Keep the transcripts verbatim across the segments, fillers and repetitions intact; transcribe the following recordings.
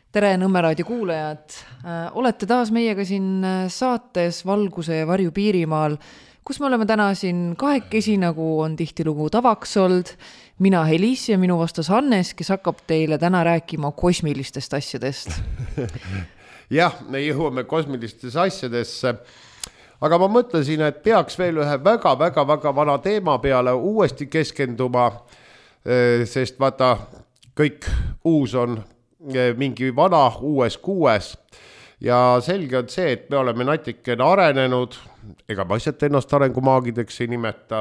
Tere Nõmme raadio kuulajad. Olete taas meiega siin saates Valguse ja varju Piirimaal, kus me oleme täna siin kahekesi, nagu on tihtilugu tavaks olnud. Mina Helis ja minu vastas Hannes, kes hakkab teile täna rääkima kosmilistest asjadest. Jah, me jõuame kosmilistest asjadesse, aga ma mõtlesin, et peaks veel ühe väga-väga-väga vana teema peale uuesti keskenduma, sest vaata, kõik uus on mingi vana uues kuues ja selge on see, et me oleme natikene arenenud, ega ma asjad ennast arengumaagideks ei nimeta.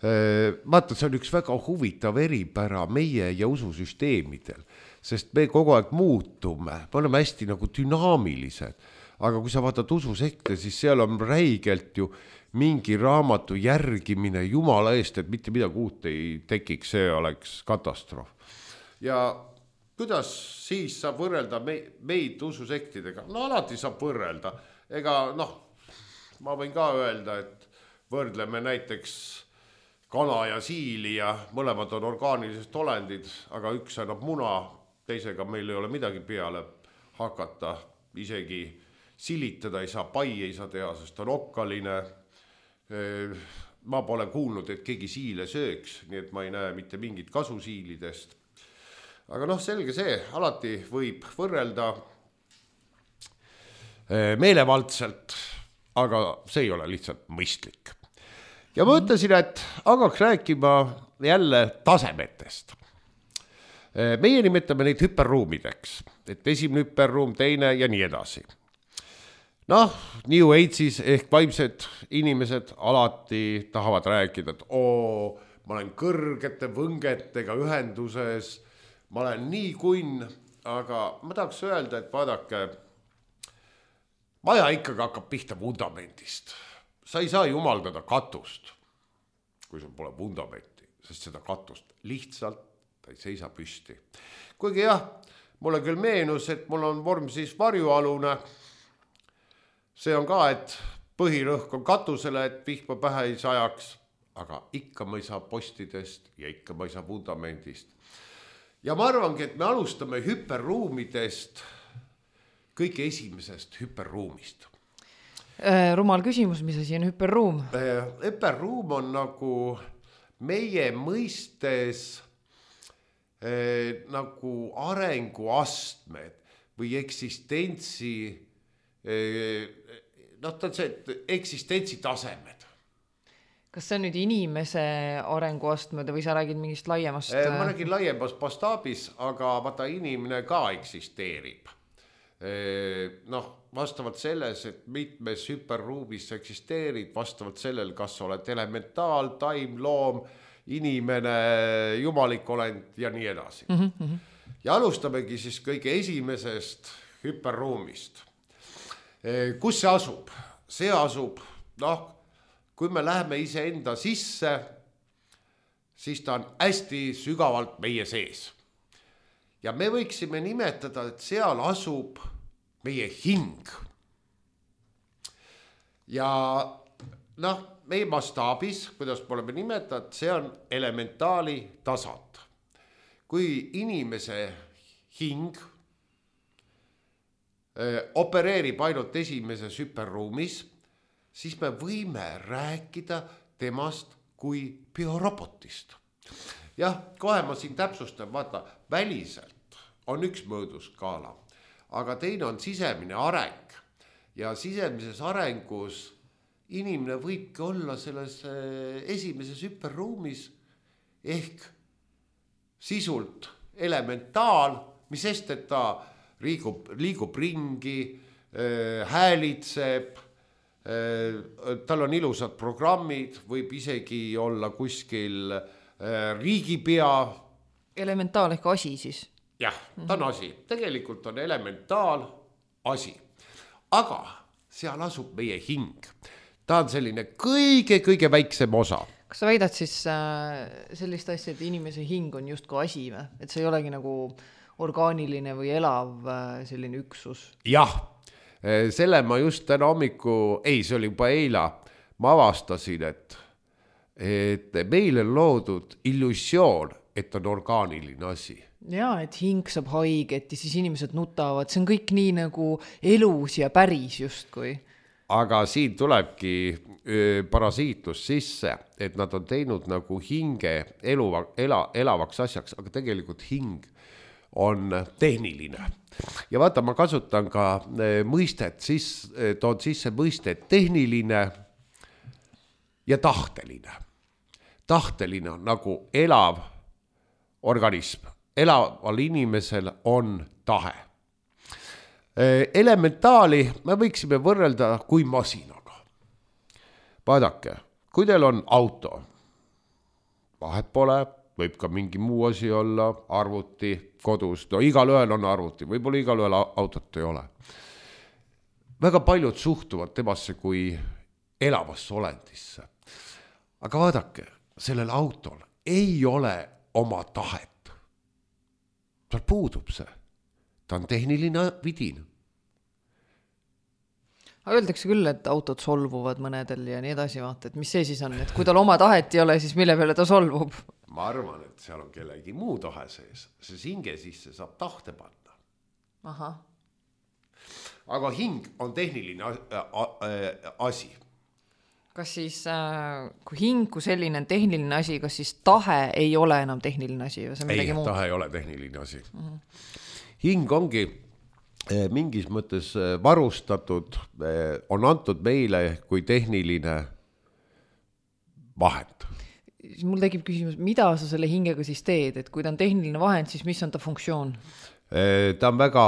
Vaata, see on üks väga huvitav eripära meie ja ususüsteemidel, sest me kogu aeg muutume, me oleme hästi nagu dünaamilised, aga kui sa vaatad ususekte, siis seal on räigelt ju mingi raamatu järgimine Jumala eest, et mitte midagi uut ei tekiks, see oleks katastroof. Ja kuidas siis saab võrrelda meid ususektidega? No alati saab võrrelda. Ega noh, ma võin ka öelda, et võrdleme näiteks kana ja siili ja mõlemad on orgaanilised olendid, aga üks annab muna, teisega meil ei ole midagi peale hakata. Isegi silitada ei saa, pai ei saa teha, sest on okkaline. Ma pole kuulnud, et keegi siile sööks, nii et ma ei näe mitte mingit kasu siilidest. Aga noh, selge see, alati võib võrrelda meelevaldselt, aga see ei ole lihtsalt mõistlik. Ja ma ütlesin, et hakkaks rääkima jälle tasemetest. Meie nimetame neid hüperruumideks, et esimene hüperruum, teine ja nii edasi. Noh, New Age'is ehk vaimsed inimesed alati tahavad rääkida, et oo, ma olen kõrgete võngetega ühenduses, ma olen nii kunn, aga ma tahaks öelda, et vaadake, maja ikkagi hakkab pihta vundamendist. Sa ei saa jumaldada katust, kui sul pole vundamenti, sest seda katust lihtsalt ta ei seisa püsti. Kuigi jah, mulle küll meenus, et mul on vorm siis varjualune. See on ka, et põhirõhk on katusele, et vihma pähe ei sajaks, aga ikka ma ei saa postidest ja ikka ma ei saa vundamendist. Ja ma arvangi, et me alustame hüperruumidest kõige esimesest hüperruumist. Rumal küsimus, mis asi on hüperruum? Hüperruum on nagu meie mõistes eh, nagu arenguastmed või eksistentsi, eh, noh, ta on see, et eksistentsi tasemed. Kas see on nüüd inimese arenguastmed või sa räägid mingist laiemast? Ma räägin laiemast mastaabis, aga vaata inimene ka eksisteerib. Noh, vastavalt selles, et mitmes hüperruumis eksisteerid, vastavalt sellel, kas oled elementaal, taim, loom, inimene, jumalik olend ja nii edasi. Mm-hmm. Ja alustamegi siis kõige esimesest hüperruumist. Kus see asub? See asub, noh, kui me läheme ise enda sisse, siis ta on hästi sügavalt meie sees. Ja me võiksime nimetada, et seal asub meie hing. Ja noh, meie mastaabis, kuidas me oleme nimetanud, see on elementaali tasand. Kui inimese hing opereerib ainult esimeses hüperruumis, siis me võime rääkida temast kui biorobotist. Jah, kohe ma siin täpsustan, vaata, väliselt on üks mõõduskaala, aga teine on sisemine areng. Ja sisemises arengus inimene võibki olla selles esimeses hüperruumis ehk sisult elementaal, mis sest, et ta liigub, liigub ringi, häälitseb, tal on ilusad programmid, võib isegi olla kuskil riigipea. Elementaal ehk asi siis? Jah, ta on asi. Tegelikult on elementaal asi. Aga seal asub meie hing. Ta on selline kõige-kõige väiksem osa. Kas sa väidad siis sellist asja, et inimese hing on justko asi, et see ei olegi nagu orgaaniline või elav selline üksus? Jah. Selle ma just täna hommiku, ei, see oli juba eila, ma avastasin, et, et meil on loodud illusioon, et on orgaaniline asi. Jaa, et hing saab haiget ja siis inimesed nutavad, see on kõik nii nagu elus ja päris justkui. Aga siin tulebki öö, parasiitlus sisse, et nad on teinud nagu hinge eluva, ela, elavaks asjaks, aga tegelikult hing on tehniline. Ja vaata, ma kasutan ka mõistet, siis toon sisse mõistet tehniline ja tahteline. Tahteline on nagu elav organism. Elaval inimesel on tahe. Elementaali me võiksime võrrelda kui masinaga. Vaadake, kui teil on auto, vahet pole, võib ka mingi muu asi olla, arvuti, kodus, no igal ühel on arvuti, võib-olla igal ühel autot ei ole. Väga paljud suhtuvad temasse kui elavasse olendisse. Aga vaadake, sellel autol ei ole oma tahet. Tal puudub see. Ta on tehniline vidin. Öeldakse küll, et autod solvuvad mõnedel ja nii edasi vaata, et mis see siis on, et kui tal oma tahet ei ole, siis mille peale ta solvub? Ma arvan, et seal on kellegi muu tahe sees, see hinge sisse saab tahte panna. Aha. Aga hing on tehniline asi. Kas siis, kui hing kui selline on tehniline asi, kas siis tahe ei ole enam tehniline asi? Ei, tahe ei ole tehniline asi. Uh-huh. Hing ongi mingis mõttes varustatud, on antud meile kui tehniline vahend. Mul tekib küsimus, mida sa selle hingega siis teed, et kui ta on tehniline vahend, siis mis on ta funktsioon? Ta on väga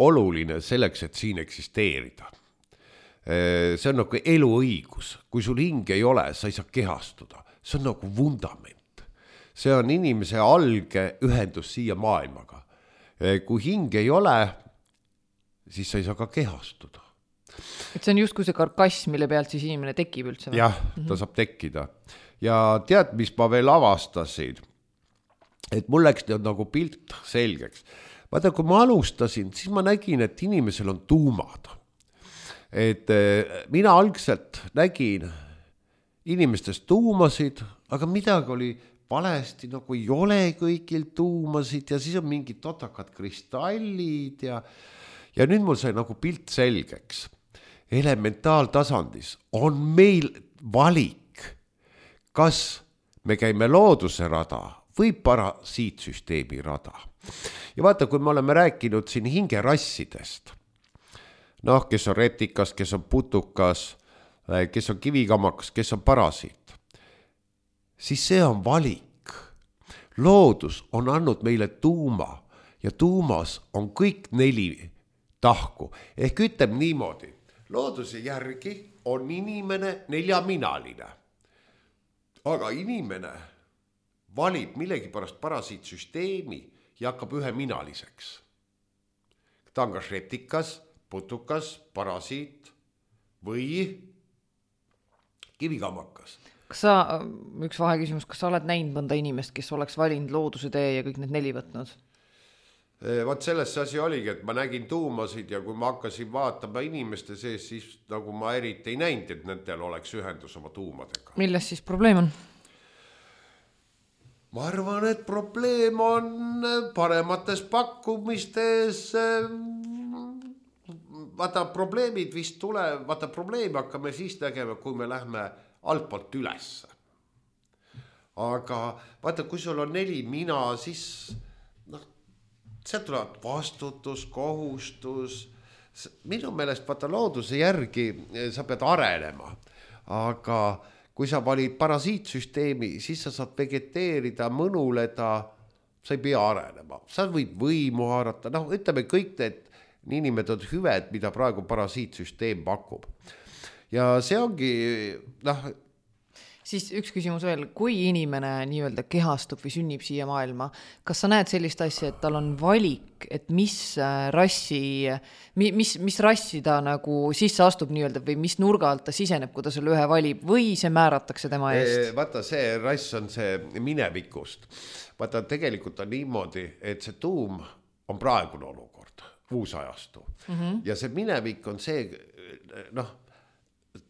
oluline selleks, et siin eksisteerida. See on nagu eluõigus. Kui sul hing ei ole, sa ei saa kehastuda. See on nagu vundament. See on inimese alge ühendus siia maailmaga. Kui hing ei ole, siis sa ei saa ka kehastuda. Et see on just kui see karkass, mille pealt siis inimene tekib üldse? Jah, ta saab tekkida. Ja tead, mis ma veel avastasin? Et mul läks nagu pilt selgeks. Vaata, kui ma alustasin, siis ma nägin, et inimesel on tuumad. Et mina algselt nägin inimestest tuumasid, aga midagi oli valesti, nagu ei ole kõigil tuumasid ja siis on mingid totakad kristallid ja, ja nüüd mul sai nagu pilt selgeks. Elementaaltasandis on meil valik, kas me käime looduse rada või parasiitsüsteemi rada. Ja vaata, kui me oleme rääkinud siin hingerassidest, noh, kes on retikas, kes on putukas, kes on kivikamakas, kes on parasiit, siis see on valik. Loodus on andnud meile tuuma ja tuumas on kõik neli tahku. Ehk ütleb niimoodi, looduse järgi on inimene neljaminaline. Aga inimene valib millegi pärast parasiitsüsteemi ja hakkab üheminaliseks. Ta on kas retikas, putukas, parasiit või kivikamakas. Kas sa, üks vaheküsimus, kas sa oled näinud mõnda inimest, kes oleks valinud looduse tee ja kõik need neli võtnud? Vaat selles asi oligi, et ma nägin tuumasid ja kui ma hakkasin vaatama inimeste sees, siis nagu ma eriti ei näinud, et nendel oleks ühendus oma tuumadega. Milles siis probleem on? Ma arvan, et probleem on paremates pakkumistes. Vaata, probleemid vist tule, vaata, probleemi hakkame siis tegema, kui me lähme altpoolt ülesse. Aga vaata, kui sul on neli mina, siis noh, see tuleb vastutus, kohustus. Minu meelest vaata looduse järgi sa pead arenema, aga kui sa valid parasiitsüsteemi, siis sa saad vegeteerida, mõnuleda, sa ei pea arenema. Sa võid võimu haarata, noh, ütleme kõik need niinimetatud hüved, mida praegu parasiitsüsteem pakub. Ja see ongi, noh. Siis üks küsimus veel, kui inimene nii-öelda kehastub või sünnib siia maailma, kas sa näed sellist asja, et tal on valik, et mis rassi, mis, mis rassi ta nagu sisse astub nii-öelda või mis nurga alt ta siseneb, kui ta selle ühe valib või see määratakse tema eest? Vaata, see rass on see minevikust. Vaata, tegelikult on niimoodi, et see tuum on praegune olukord, uus ajastu. Mm-hmm. Ja see minevik on see, noh,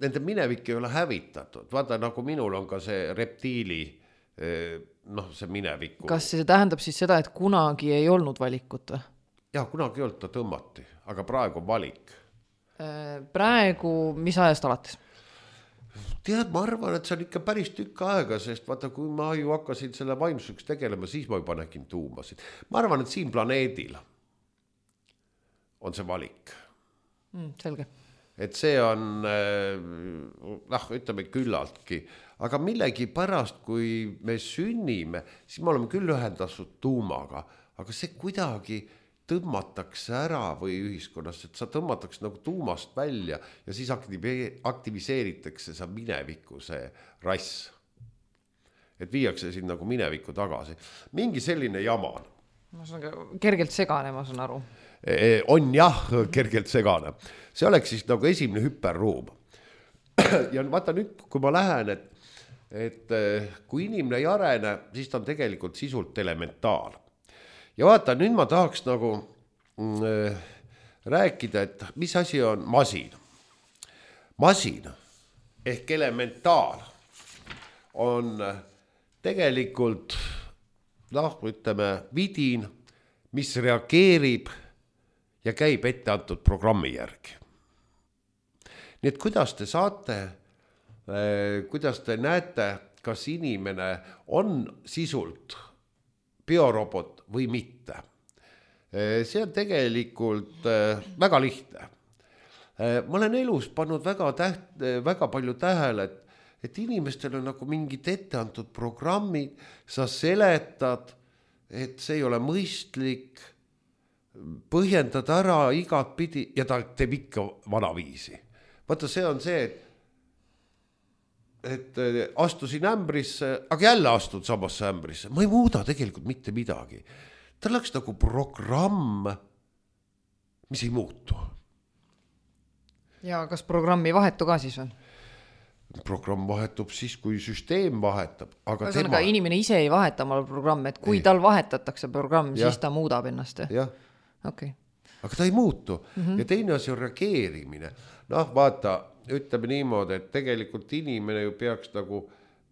nende minevik ei ole hävitatud. Vaata, nagu minul on ka see reptiili noh, see mineviku. Kas see tähendab siis seda, et kunagi ei olnud valikut või? Jah, kunagi ei olnud, ta tõmmati, aga praegu on valik. Praegu, mis ajast alates? Tead, ma arvan, et see on ikka päris tükk aega, sest vaata, kui ma ju hakkasin selle vaimsuseks tegelema, siis ma juba nägin tuumasid. Ma arvan, et siin planeedil on see valik. Mm, selge. Et see on, noh, ütleme küllaltki, aga millegi pärast, kui me sünnime, siis me oleme küll ühendatud tuumaga, aga see kuidagi tõmmatakse ära või ühiskonnas, et sa tõmmatakse nagu tuumast välja ja siis aktiviseeritakse sa mineviku see rass. Et viiakse siin nagu mineviku tagasi. Mingi selline jama on. Ma saan kergelt segane, ma saan aru. On jah, kergelt segane. See oleks siis nagu esimene hüperruum. Ja vaata nüüd, kui ma lähen, et, et kui inimene ei arene, siis ta on tegelikult sisult elementaal. Ja vaata, nüüd ma tahaks nagu äh, rääkida, et mis asi on masin. Masin ehk elementaal on tegelikult, noh, ütleme, vidin, mis reageerib ja käib ette antud programmi järgi. Nii et kuidas te saate, äh, kuidas te näete, kas inimene on sisult biorobot või mitte. See on tegelikult väga lihtne. Ma olen elus pannud väga, täht, väga palju tähele, et, et inimestel on nagu mingid etteantud programmid, sa seletad, et see ei ole mõistlik, põhjendad ära igat pidi ja ta teeb ikka vanaviisi. Vaata, see on see, et et astusin ämbrisse, aga jälle astud samasse ämbrisse. Ma ei muuda tegelikult mitte midagi. Ta läks nagu programm, mis ei muutu. Ja kas programmi vahetu ka siis on? Programm vahetub siis, kui süsteem vahetab. Aga tema... inimene ise ei vaheta oma programm, et kui ei. Tal vahetatakse programm, ja. Siis ta muudab ennast. Jah. Okay. Aga ta ei muutu. Mm-hmm. Ja teine asi on reageerimine. Noh, vaata, ütleme niimoodi, et tegelikult inimene ju peaks nagu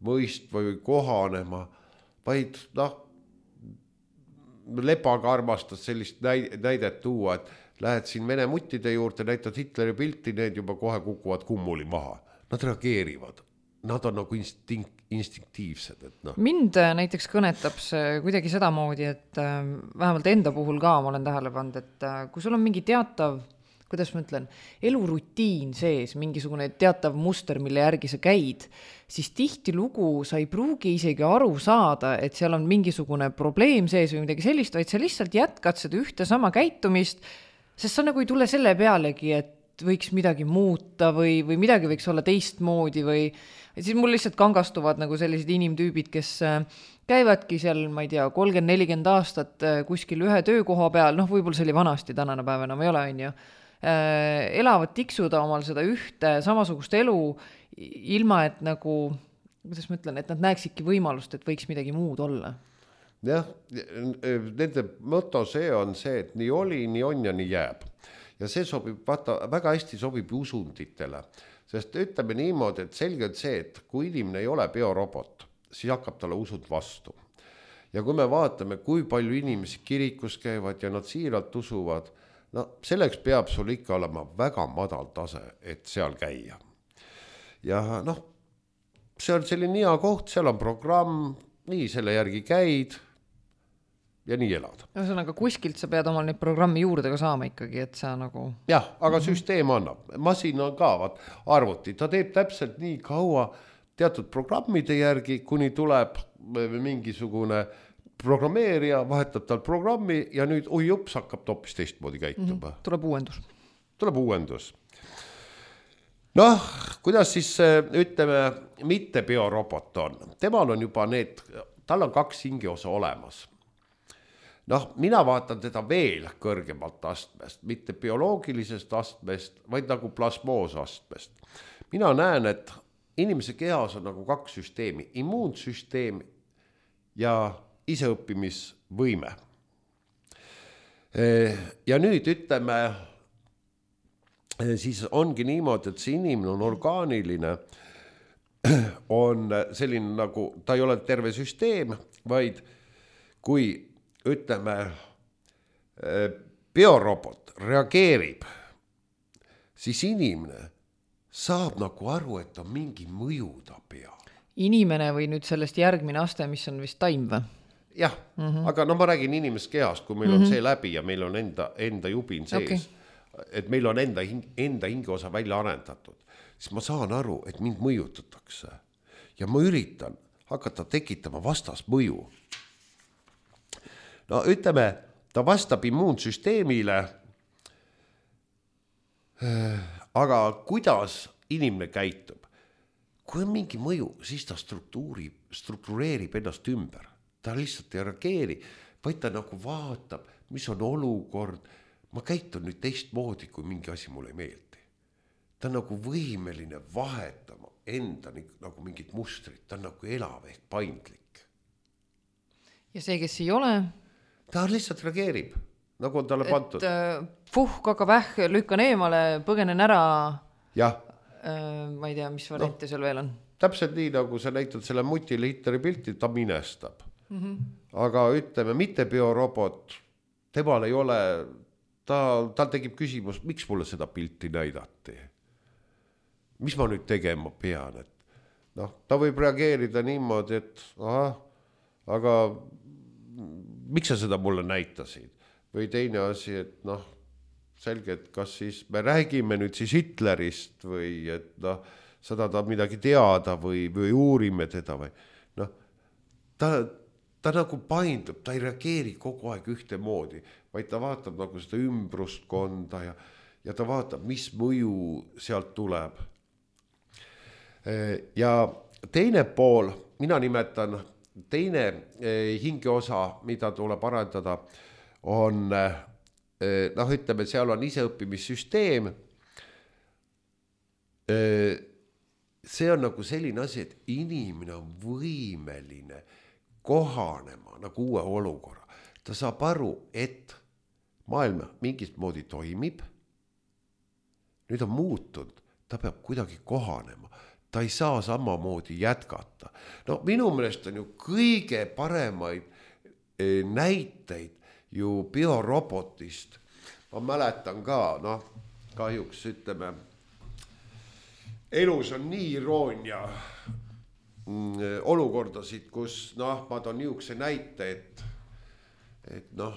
mõistma või kohanema, vaid noh, Lepaga armastas sellist näidet tuua, et lähed siin Vene muttide juurde, näitad Hitleri pilti, need juba kohe kukuvad kummuli maha. Nad reageerivad. Nad on nagu instinkt, instinktiivsed. Et no. Mind näiteks kõnetab see kuidagi sedamoodi, et vähemalt enda puhul ka ma olen tähele pannud, et kui sul on mingi teatav, kuidas ma ütlen, elurutiin sees, mingisugune teatav muster, mille järgi sa käid, siis tihti lugu sa ei pruugi isegi aru saada, et seal on mingisugune probleem sees või midagi sellist, vaid sa lihtsalt jätkad seda ühte sama käitumist, sest sa nagu ei tule selle pealegi, et võiks midagi muuta või, või midagi võiks olla teistmoodi või siis mul lihtsalt kangastuvad nagu sellised inimtüübid, kes käivadki seal, ma ei tea, kolmkümmend nelikümmend aastat kuskil ühe töökoha peal, noh, võib-olla see oli vanasti, tänane päev enam ei ole, on ju, elavad tiksuda omal seda ühte samasugust elu ilma, et nagu, kuidas ma ütlen, et nad näeksidki võimalust, et võiks midagi muud olla. Jah, nende moto see on see, et nii oli, nii on ja nii jääb. Ja see sobib, vaata, väga hästi sobib usunditele, sest ütleme niimoodi, et selge on see, et kui inimene ei ole biorobot, siis hakkab talle usund vastu. Ja kui me vaatame, kui palju inimesi kirikus käivad ja nad siiralt usuvad, no selleks peab sul ikka olema väga madal tase, et seal käia. Ja noh, see on selline hea koht, seal on programm, nii selle järgi käid ja nii elad. Ühesõnaga, kuskilt sa pead omal neid programmi juurde ka saama ikkagi, et sa nagu... Jah, aga süsteem annab. Masin on ka, vaat, arvuti. Ta teeb täpselt nii kaua teatud programmide järgi, kuni tuleb mingisugune programmeerija, vahetab tal programmi ja nüüd oi jups hakkab toppis teistmoodi käituma. Mm-hmm. Tuleb uuendus. Tuleb uuendus. Noh, kuidas siis ütleme, mitte biorobot on? Temal on juba need, tal on kaks hingiosa olemas. Noh, mina vaatan teda veel kõrgemalt astmest, mitte bioloogilisest astmest, vaid nagu plasmoosastmest. Mina näen, et inimese kehas on nagu kaks süsteemi, immuunsüsteem ja iseõppimisvõime. Ja nüüd ütleme, siis ongi niimoodi, et see inimene on orgaaniline on selline nagu, ta ei ole terve süsteem, vaid kui ütleme, biorobot reageerib, siis inimene saab nagu aru, et on mingi mõju ta peal. Inimene või nüüd sellest järgmine aste, mis on vist taim või? Jah, mm-hmm. aga no ma räägin inimest kehast, kui meil mm-hmm. on see läbi ja meil on enda, enda jubin sees, okay. et meil on enda, enda hingeosa välja arendatud, siis ma saan aru, et mind mõjutatakse ja ma üritan hakata tekitama vastasmõju. No ütleme, ta vastab immuunsüsteemile, aga kuidas inimene käitub? Kui on mingi mõju, siis ta struktureerib ennast ümber. Ta lihtsalt ei reageeri, vaid ta nagu vaatab, mis on olukord. Ma käitun nüüd teistmoodi, kui mingi asi mulle ei meeldi. Ta on nagu võimeline vahetama enda nagu mingit mustrit. Ta on nagu elav ehk paindlik. Ja see, kes ei ole? Ta lihtsalt reageerib, nagu on talle pandud. Et puh, kaka väh, lükkan eemale, põgenen ära. Jah. Ma ei tea, mis variante no, seal veel on. Täpselt nii, nagu sa näitad selle mutile Hitleri pilti, ta minestab. Mm-hmm. Aga ütleme, mitte biorobot, temal ei ole, ta, tal tegib küsimus, miks mulle seda pilti näidati? Mis ma nüüd tegema pean? Et, no, ta võib reageerida niimoodi, et aha, aga miks sa seda mulle näitasid? Või teine asi, et noh, selge, et kas siis me räägime nüüd siis Hitlerist või et noh, seda ta midagi teada või, või uurime teda või noh, ta, ta nagu paindub, ta ei reageeri kogu aeg ühte moodi, vaid ta vaatab nagu seda ümbrustkonda ja, ja ta vaatab, mis mõju sealt tuleb. Ja teine pool, mina nimetan, teine hingeosa, mida tuleb arendada, on noh, ütleme, seal on iseõppimissüsteem. See on nagu selline asi, et inimene on võimeline kohanema nagu uue olukorra. Ta saab aru, et maailma mingist moodi toimib. Nüüd on muutunud, ta peab kuidagi kohanema. Ta ei saa samamoodi jätkata. No minu meelest on ju kõige paremaid näiteid ju biorobotist. Ma mäletan ka, noh, kahjuks ütleme, elus on nii iroonia olukordasid, kus, noh, ma toon niisuguse näite, et, et noh,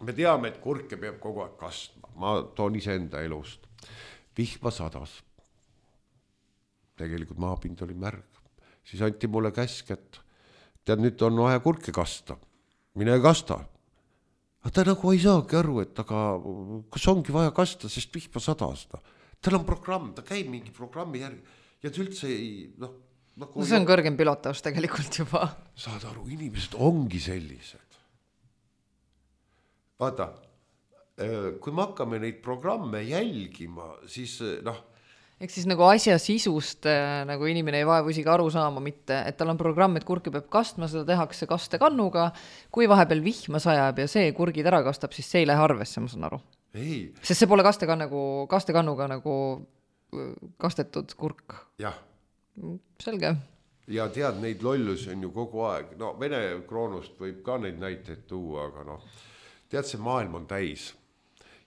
me teame, et kurke peab kogu aeg kastma. Ma toon ise enda elust. Vihma sadas. Tegelikult maapind oli märg. Siis anti mulle käsk, et tead, nüüd on vaja kurke kasta. Mine kasta. Aga ta nagu ei saagi aru, et aga kas ongi vaja kasta, sest vihma sadas. Tal on programm, ta käib mingi programmi järgi ja ta üldse ei... Noh, nagu no see on kõrgem pilotaus tegelikult juba. Saad aru, inimesed ongi sellised. Vaata, kui me hakkame neid programme jälgima, siis noh, ehk siis nagu asja sisust nagu inimene ei vaevu isegi aru saama mitte, et tal on programm, et kurki peab kastma, seda tehakse kastekannuga, kui vahepeal vihma sajab ja see kurgid ära kastab, siis see ei lähe arvesse, ma saan aru. Ei. Sest see pole kastekannuga, kastekannuga nagu kastetud kurk. Jah. Selge. Ja tead, neid lollusi on ju kogu aeg. No Vene kroonust võib ka neid näiteid tuua, aga noh, tead, see maailm on täis.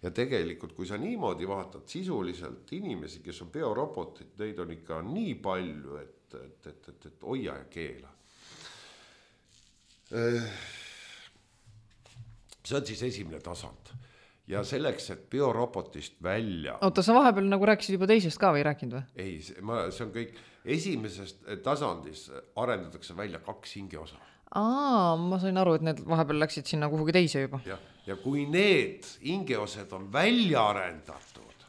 Ja tegelikult, kui sa niimoodi vaatad sisuliselt inimesi, kes on biorobotid, neid on ikka nii palju, et, et, et, et, et hoia ja keela. See on siis esimene tasand. Ja selleks, et biorobotist välja... Oota, sa vahepeal nagu rääkisid juba teisest ka või ei rääkinud või? Ei, see, ma, see on kõik... Esimesest tasandis arendatakse välja kaks hingeosa. Aa, ma sain aru, et need vahepeal läksid sinna kuhugi teise juba. Ja, ja kui need hingeosed on välja arendatud,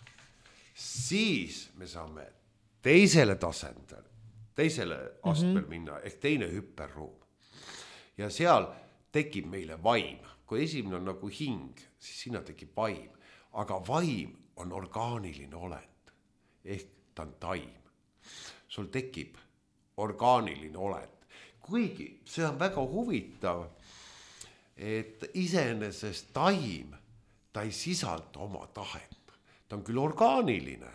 siis me saame teisele tasandile, teisele astmel mm-hmm. minna, ehk teine hüperruum. Ja seal tekib meile vaim. Kui esimene on nagu hing, siis sinna tekib vaim. Aga vaim on orgaaniline olend, ehk ta on taim. Sul tekib orgaaniline olend. Kuigi see on väga huvitav, et iseenesest taim, ta ei sisalda oma tahet. Ta on küll orgaaniline,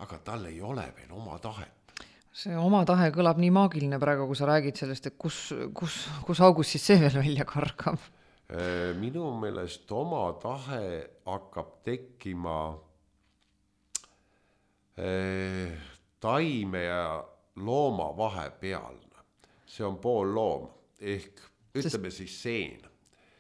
aga tal ei ole veel oma tahet. See oma tahe kõlab nii maagiline praegu, kui sa räägid sellest, et kus, kus, kus augus siis see veel välja kargab? Minu meelest oma tahe hakkab tekkima taime ja looma vahepealne. See on pool loom ehk ütleme Sest... siis seen.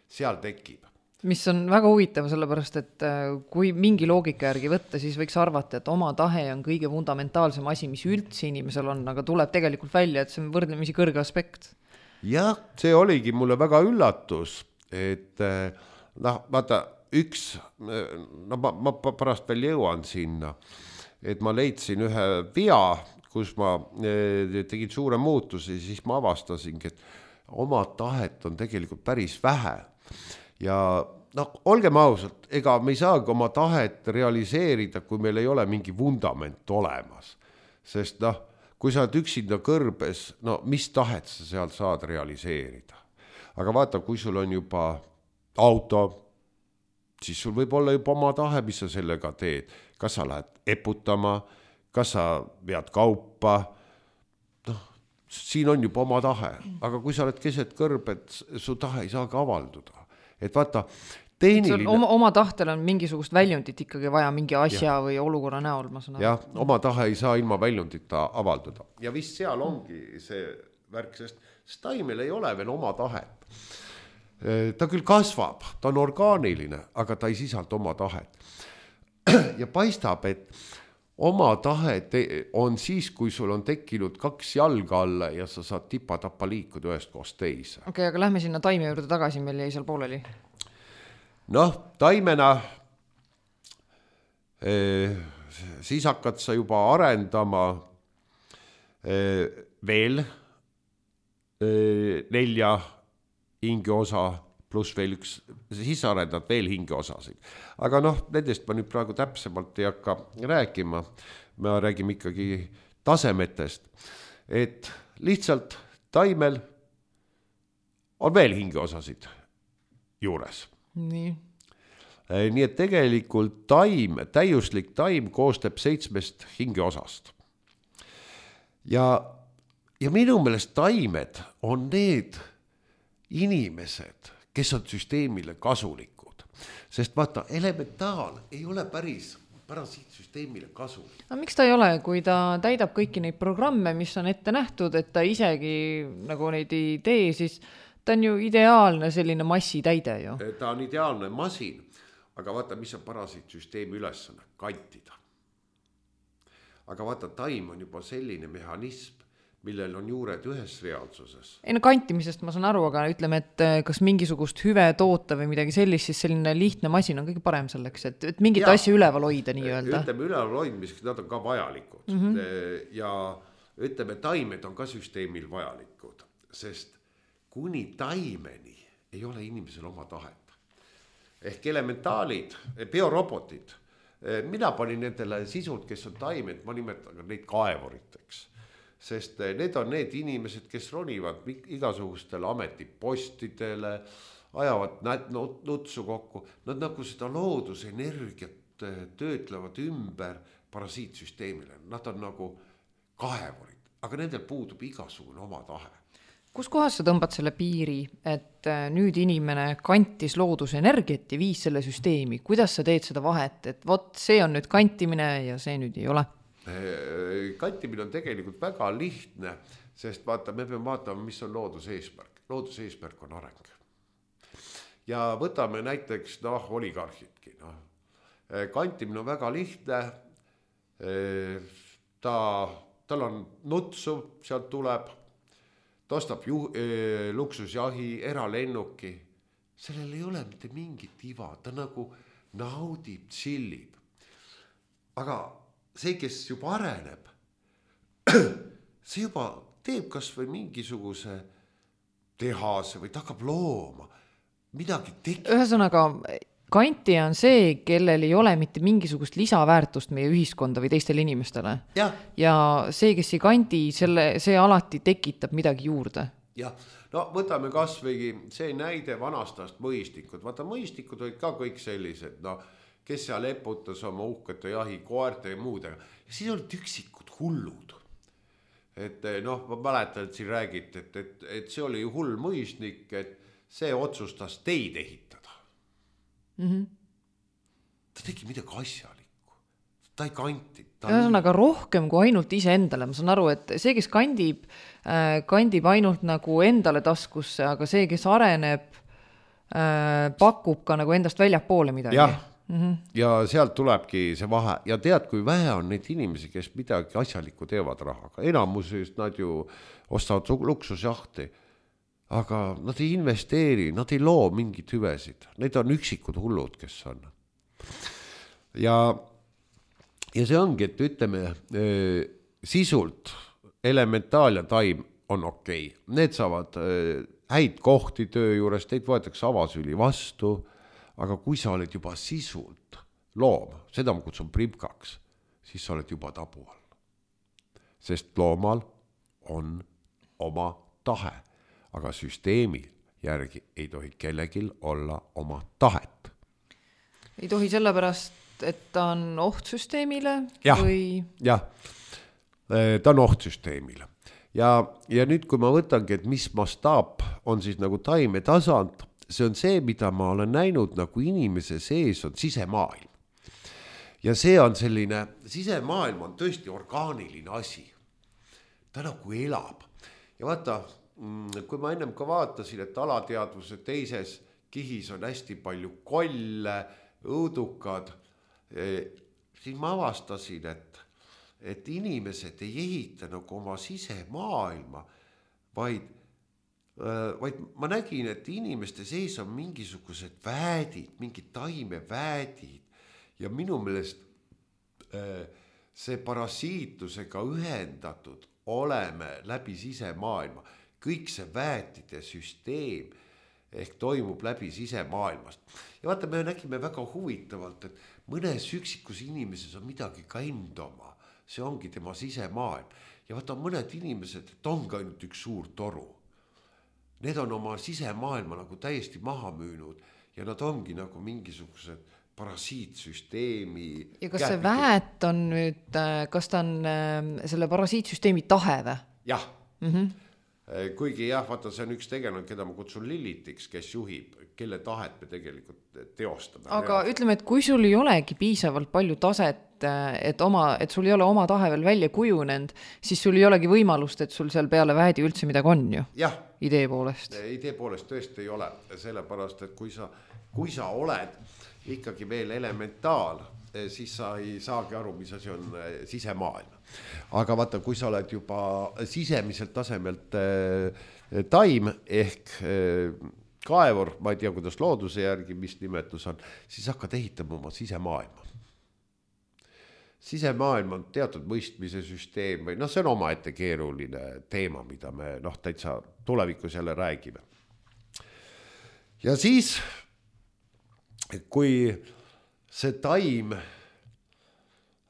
Seal tekib. Mis on väga huvitav, sellepärast, et kui mingi loogika järgi võtta, siis võiks arvata, et oma tahe on kõige fundamentaalsem asi, mis üldse inimesel on, aga tuleb tegelikult välja, et see on võrdlemisi kõrge aspekt. Jah, see oligi mulle väga üllatus, et noh, vaata, üks, no ma, ma pärast veel jõuan sinna, et ma leidsin ühe vea, kus ma tegin suure muutusi, siis ma avastasingi, et oma tahet on tegelikult päris vähe. Ja noh, olgem ausalt, ega me ei saagi oma tahet realiseerida, kui meil ei ole mingi vundament olemas. Sest noh, kui sa oled üksinda kõrbes, no mis tahet sa seal saad realiseerida. Aga vaata, kui sul on juba auto, siis sul võib olla juba oma tahe, mis sa sellega teed. Kas sa lähed eputama, kas sa vead kaupa, noh, siin on juba oma tahe. Aga kui sa oled keset kõrbed, su tahe ei saagi avalduda. Et vaata, tehniline... Oma, oma tahtel on mingisugust väljundit ikkagi vaja mingi asja ja. Või olukorra näol, ma saan aru. Jah, oma tahe ei saa ilma väljundita avalduda. Ja vist seal ongi see värk, sest taimel ei ole veel oma tahet. Ta küll kasvab, ta on orgaaniline, aga ta ei sisalda oma tahet. Ja paistab, et oma tahe on siis, kui sul on tekkinud kaks jalga alla ja sa saad tipa-tappa liikuda ühest koos teise. Okei, okay, aga lähme sinna taime juurde tagasi, meil jäi seal pooleli. Noh, taimena eh, siis hakkad sa juba arendama eh, veel eh, nelja hingeosa pluss veel üks, siis arendad veel hingeosasid. Aga noh, nendest ma nüüd praegu täpsemalt ei hakka rääkima. Me räägime ikkagi tasemetest, et lihtsalt taimel on veel hingeosasid juures. Nii. Nii et tegelikult taim, täiuslik taim koostab seitsmest hingeosast. Ja, ja minu meelest taimed on need inimesed, kes on süsteemile kasulikud. Sest vaata, elementaal ei ole päris parasiitsüsteemile kasulik. No, miks ta ei ole, kui ta täidab kõiki neid programme, mis on ette nähtud, et ta isegi nagu neid ei tee, siis ta on ju ideaalne selline massitäide ju. Ta on ideaalne masin, aga vaata, mis on parasiitsüsteemi ülesanne, kantida. Aga vaata, taim on juba selline mehhanism, millel on juured ühes reaalsuses. Ei no kantimisest ma saan aru, aga ütleme, et kas mingisugust hüve toota või midagi sellist, siis selline lihtne masin on kõige parem selleks, et, et mingit ja, asja üleval hoida nii öelda. Ütleme üleval hoidmiseks, nad on ka vajalikud. Mm -hmm. Ja ütleme, taimed on ka süsteemil vajalikud, sest kuni taimeni ei ole inimesel oma tahet. Ehk elementaalid, biorobotid, mina panin nendele sisud, kes on taimed, ma nimetan neid kaevuriteks. Sest need on need inimesed, kes ronivad igasugustele ametipostidele, ajavad nutsu kokku. Nad nagu seda loodusenergiat töötlevad ümber parasiitsüsteemile. Nad on nagu kaevurid, aga nendel puudub igasugune oma tahe. Kus kohas sa tõmbad selle piiri, et nüüd inimene kantis loodusenergiat ja viis selle süsteemi? Kuidas sa teed seda vahet, et vot see on nüüd kantimine ja see nüüd ei ole? Kantimine on tegelikult väga lihtne, sest vaata, me peame vaatama, mis on looduse eesmärk. Looduse eesmärk on areng. Ja võtame näiteks noh, oligarhidki. No. Kantimine on väga lihtne. Ta, tal on nutsu, sealt tuleb, ta ostab ju, luksusjahi, eralennuki. Sellel ei ole mitte mingit iva, ta nagu naudib, chillib. Aga see, kes juba areneb, see juba teeb kas või mingisuguse tehase või ta hakkab looma, midagi tekib. Ühesõnaga, kantija on see, kellel ei ole mitte mingisugust lisaväärtust meie ühiskonda või teistele inimestele. Ja, ja see, kes ei kanti, selle, see alati tekitab midagi juurde. Jah, no võtame kas või see näide vanastast mõistikud. Vaata, mõistikud olid ka kõik sellised, no kes seal eputas oma uhkete jahi, koerte ja muudega. Ja siis olid üksikud hullud. et noh, ma mäletan, et siin räägiti, et, et, et see oli ju hull mõisnik, et see otsustas teid ehitada. Mm-hmm. Ta tegi midagi asjalikku, ta ei kanti. Ühesõnaga rohkem kui ainult ise endale, ma saan aru, et see, kes kandib, kandib ainult nagu endale taskusse, aga see, kes areneb, pakub ka nagu endast väljapoole midagi. Jah, mm-hmm. ja sealt tulebki see vahe ja tead, kui vähe on neid inimesi, kes midagi asjalikku teevad rahaga. Enamusest nad ju ostavad luksusjahti, aga nad ei investeeri, nad ei loo mingit hüvesid. Need on üksikud hullud, kes on. Ja Ja see ongi, et ütleme, sisult elementaal ja taim on okei. Need saavad häid kohti töö juures, teid võetakse avasüli vastu, aga kui sa oled juba sisult loom, seda ma kutsun primkaks, siis sa oled juba tabu all. Sest loomal on oma tahe, aga süsteemi järgi ei tohi kellegil olla oma tahet. Ei tohi sellepärast, et ta on oht süsteemile jah, või? Jah, ta on oht süsteemile. Ja, ja nüüd, kui ma võtangi, et mis mastaap on siis nagu taime tasand, see on see, mida ma olen näinud nagu inimese sees on sisemaailm. Ja see on selline, sisemaailm on tõesti orgaaniline asi. Ta nagu elab. Ja vaata, kui ma ennem ka vaatasin, et alateadvuse teises kihis on hästi palju kolle, õudukad, siis ma avastasin, et, et inimesed ei ehita nagu oma sisemaailma, vaid, vaid ma nägin, et inimeste sees on mingisugused väädid, mingid taimeväädid ja minu meelest see parasiitusega ühendatud oleme läbi sisemaailma. Kõik see väätide süsteem ehk toimub läbi sisemaailmast. Ja vaata, me nägime väga huvitavalt, et mõnes üksikus inimeses on midagi ka endoma. See ongi tema sisemaailm. Ja vaata, mõned inimesed, et ongi ainult üks suur toru. Need on oma sisemaailma nagu täiesti maha müünud ja nad ongi nagu mingisugused parasiitsüsteemi. Ja kas see väät on nüüd, kas ta on selle parasiitsüsteemi tahe või? Jah. Mm-hmm. Kuigi jah, vaata, see on üks tegelane, keda ma kutsun Lilitiks, kes juhib, kelle tahet me tegelikult teostame. Aga reaalselt. Ütleme, et kui sul ei olegi piisavalt palju taset, et, oma, et sul ei ole oma tahe veel välja kujunenud, siis sul ei olegi võimalust, et sul seal peale väedi üldse midagi on ju? Jah. Idee poolest. Idee poolest tõesti ei ole, sellepärast, et kui sa, kui sa oled ikkagi veel elementaal, siis sa ei saagi aru, mis asi on sisemaailm. Aga vaata, kui sa oled juba sisemiselt tasemelt taim ehk kaevur, ma ei tea, kuidas looduse järgi, mis nimetus on, siis hakkad ehitama oma sisemaailma. Sisemaailm on teatud mõistmise süsteem või noh, see on oma ette keeruline teema, mida me noh, täitsa tulevikus jälle räägime. Ja siis, kui see taim,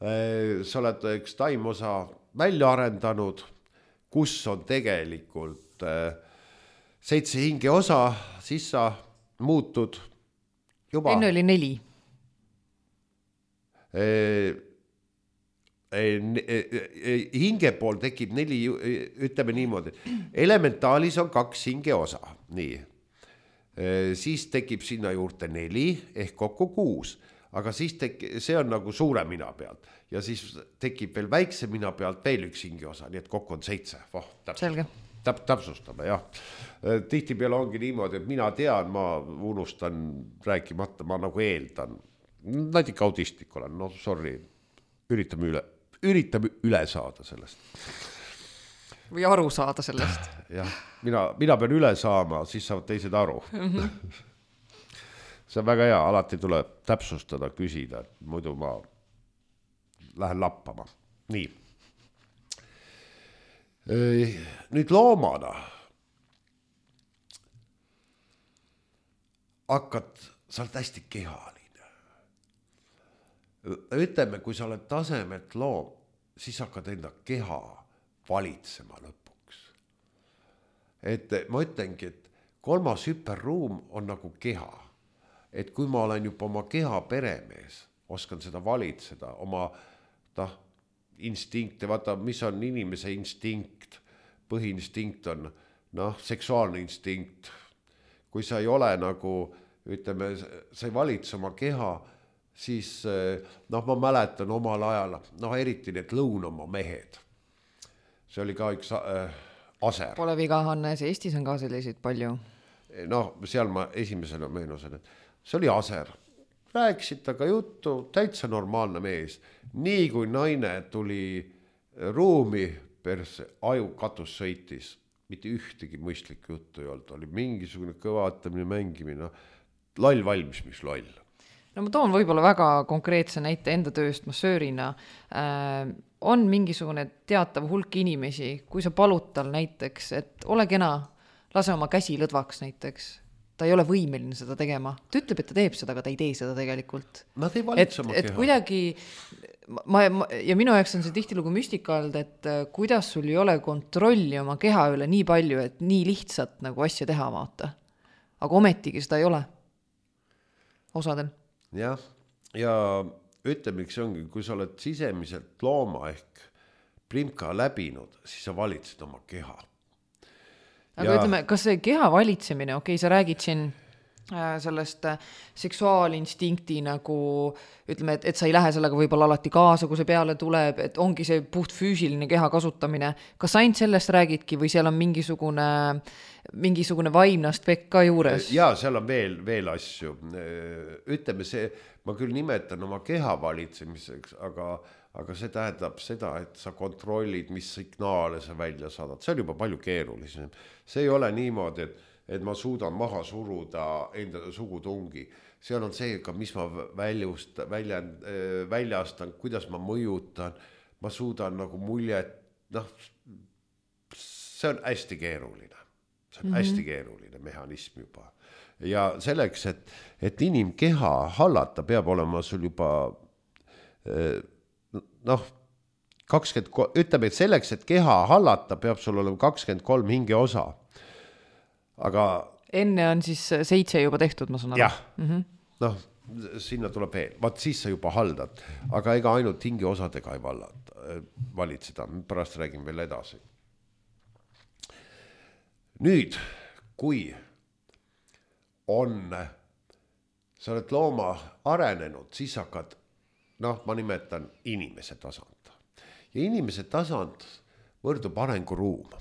sa oled üks taimosa välja arendanud, kus on tegelikult seitse hinge osa, siis sa muutud juba. Enne oli neli. Hinge pool tekib neli, ütleme niimoodi. Elementaalis on kaks hinge osa, nii. Siis tekib sinna juurde neli ehk kokku kuus. Aga siis tek- see on nagu suure mina pealt ja siis tekib veel väikse mina pealt veel üks hinge osa, nii et kokku on seitse. Oh, Selge. Täp, täpsustame, jah. Tihti peale ongi niimoodi, et mina tean, ma unustan rääkimata, ma nagu eeldan. Natika autistlik olen, no sorry, üritame üle, üritame üle saada sellest. Või aru saada sellest. jah, mina, mina pean üle saama, siis saavad teised aru. Mm-hmm. See on väga hea, alati tuleb täpsustada, küsida, muidu ma lähen lappama. Nii. Nüüd loomana hakkad, sa oled hästi kehaline. Ütleme, kui sa oled tasemelt loom, siis hakkad enda keha valitsema lõpuks. Et ma ütlengi, et kolmas hüperruum on nagu keha. Et kui ma olen juba oma keha peremees, oskan seda valitseda, oma ta, instinkte, vaata, mis on inimese instinkt, põhiinstinkt on noh, seksuaalne instinkt. Kui sa ei ole nagu, ütleme, sa ei valitse oma keha, siis noh, ma mäletan omal ajal, noh, eriti need lõunamaa mehed. See oli ka üks äh, aser. Pole viga, Hannes, Eestis on ka selliseid palju. Noh, seal ma esimesena meenusin, et see oli aser. Rääkisid taga juttu, täitsa normaalne mees. Nii kui naine tuli ruumi, perse, aju katus sõitis, mitte ühtegi mõistlik juttu ei olnud, oli mingisugune kõvatamine, mängimine, lall valmis, mis loll. No ma toon võib-olla väga konkreetse näite enda tööst massöörina. Äh, on mingisugune teatav hulk inimesi, kui sa palud tal näiteks, et ole kena, lase oma käsi lõdvaks näiteks. Ta ei ole võimeline seda tegema. Ta ütleb, et ta teeb seda, aga ta ei tee seda tegelikult. Nad ei valitse oma keha. Et kuidagi, ma, ma, ja minu jaoks on see tihtilugu müstika olnud, et kuidas sul ei ole kontrolli oma keha üle nii palju, et nii lihtsalt nagu asja teha vaata. Aga ometigi seda ei ole. Osadel. Jah, ja ütleme, see ongi, kui sa oled sisemiselt looma ehk primka läbinud, siis sa valitsed oma keha. Aga ja... ütleme, kas see keha valitsemine, okei, sa räägid siin sellest seksuaalinstinkti nagu, ütleme, et, et sa ei lähe sellega võib-olla alati kaasa, kui see peale tuleb, et ongi see puht füüsiline keha kasutamine. Kas ainult sellest räägidki või seal on mingisugune, mingisugune vaimne aspekt ka juures? Ja seal on veel, veel asju. Ütleme see, ma küll nimetan oma keha valitsemiseks, aga aga see tähendab seda, et sa kontrollid, mis signaale sa välja saadad. See on juba palju keerulisem. See ei ole niimoodi, et, et ma suudan maha suruda enda sugutungi. Seal on see, mis ma väljust, välja, väljastan, kuidas ma mõjutan. Ma suudan nagu muljet, noh, see on hästi keeruline. See on mm-hmm. hästi keeruline mehhanism juba. Ja selleks, et, et inimkeha hallata, peab olema sul juba noh, kakskümmend, ütleme, et selleks, et keha hallata, peab sul olema kakskümmend kolm hinge osa. Aga enne on siis seitse juba tehtud, ma saan aru. Jah, mm-hmm. noh, sinna tuleb veel. Vaat siis sa juba haldad, aga ega ainult hinge osadega ei vallata, valitseda. Pärast räägin veel edasi. Nüüd, kui on, sa oled looma arenenud, siis hakkad noh, ma nimetan inimese tasand. Ja inimese tasand võrdub arenguruum.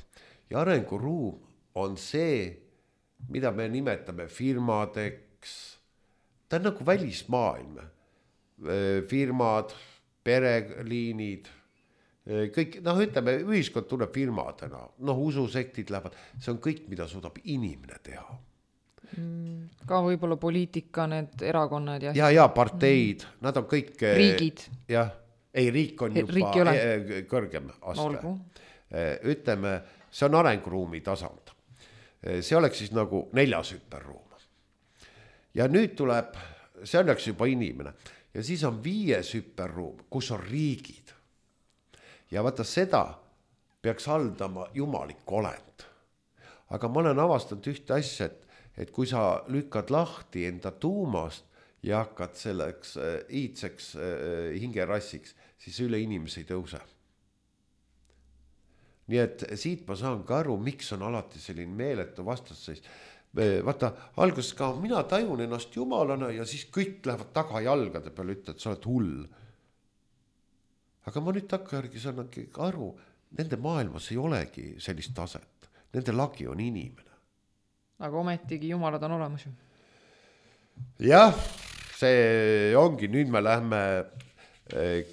Ja arenguruum on see, mida me nimetame firmadeks. Ta on nagu välismaailm. Firmad, pereliinid, kõik, noh, ütleme, ühiskond tuleb firmadena. Noh, ususektid lähevad. See on kõik, mida suudab inimene teha. Ka võib-olla poliitika, need erakonnad ja ja, ja parteid, mm. nad on kõik riigid. Jah, ei, riik on juba riik kõrgem aste. Olgu. Ütleme, see on arenguruumi tasand. See oleks siis nagu neljas hüperruum. Ja nüüd tuleb, see oleks juba inimene. Ja siis on viies hüperruum, kus on riigid. Ja vaata seda peaks haldama jumalik olend. Aga ma olen avastanud ühte asja, et et kui sa lükkad lahti enda tuumast ja hakkad selleks äh, iidseks äh, hingerassiks, siis üle inimese ei tõuse. Nii et siit ma saan ka aru, miks on alati selline meeletu vastasseis. Vaata, alguses ka mina tajun ennast jumalana ja siis kõik lähevad taga jalgade peale, ütled, et sa oled hull. Aga ma nüüd takkajärgi saan aru, nende maailmas ei olegi sellist taset. Nende lagi on inimene. Aga ometigi jumalad on olemas ju. Jah, see ongi, nüüd me lähme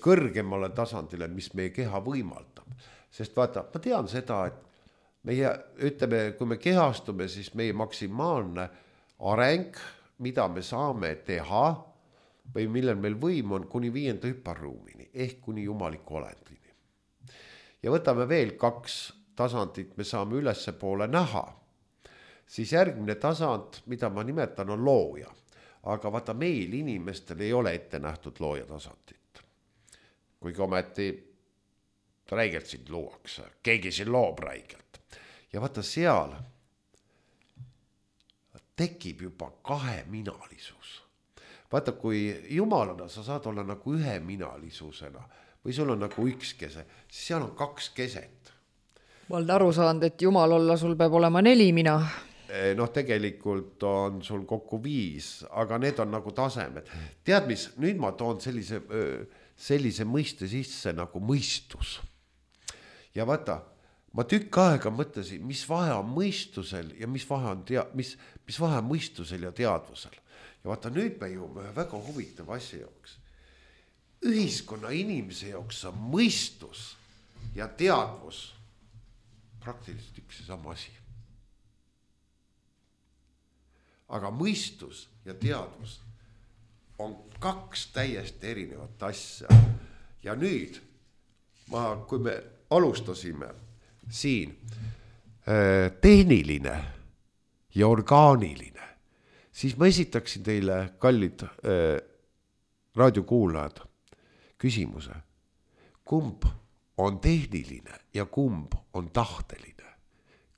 kõrgemale tasandile, mis meie keha võimaldab. Sest vaata, ma tean seda, et meie, ütleme, kui me kehastume, siis meie maksimaalne areng, mida me saame teha või millel meil võim on kuni viienda hüperruumini ehk kuni jumaliku olendini. Ja võtame veel kaks tasandit, me saame ülesse poole näha. Siis järgmine tasand, mida ma nimetan, on looja. Aga vaata, meil inimestel ei ole ette nähtud looja tasandit. Kuigi ometi räigelt sind luuakse. Keegi siin loob räigelt. Ja vaata seal tekib juba kaheminalisus. Vaata, kui jumalana sa saad olla nagu üheminalisusena. või sul on nagu üks kese, siis seal on kaks keset. Ma olen aru saanud, et jumal olla, sul peab olema neli mina. Noh, tegelikult on sul kokku viis, aga need on nagu tasemed. Tead mis, nüüd ma toon sellise, sellise mõiste sisse nagu mõistus. Ja vaata, ma tükk aega mõtlesin, mis vahe on mõistusel ja mis vahe on, tea, mis, mis vahe on mõistusel ja teadvusel. Ja vaata, nüüd me jõuame ühe väga huvitav asja jaoks. Ühiskonna inimese jaoks on mõistus ja teadvus praktiliselt üks ja sama asi. Aga mõistus ja teadvus on kaks täiesti erinevat asja. Ja nüüd, ma, kui me alustasime siin tehniline ja orgaaniline, siis ma esitaksin teile, kallid raadiokuulajad, küsimuse. Kumb on tehniline ja kumb on tahteline?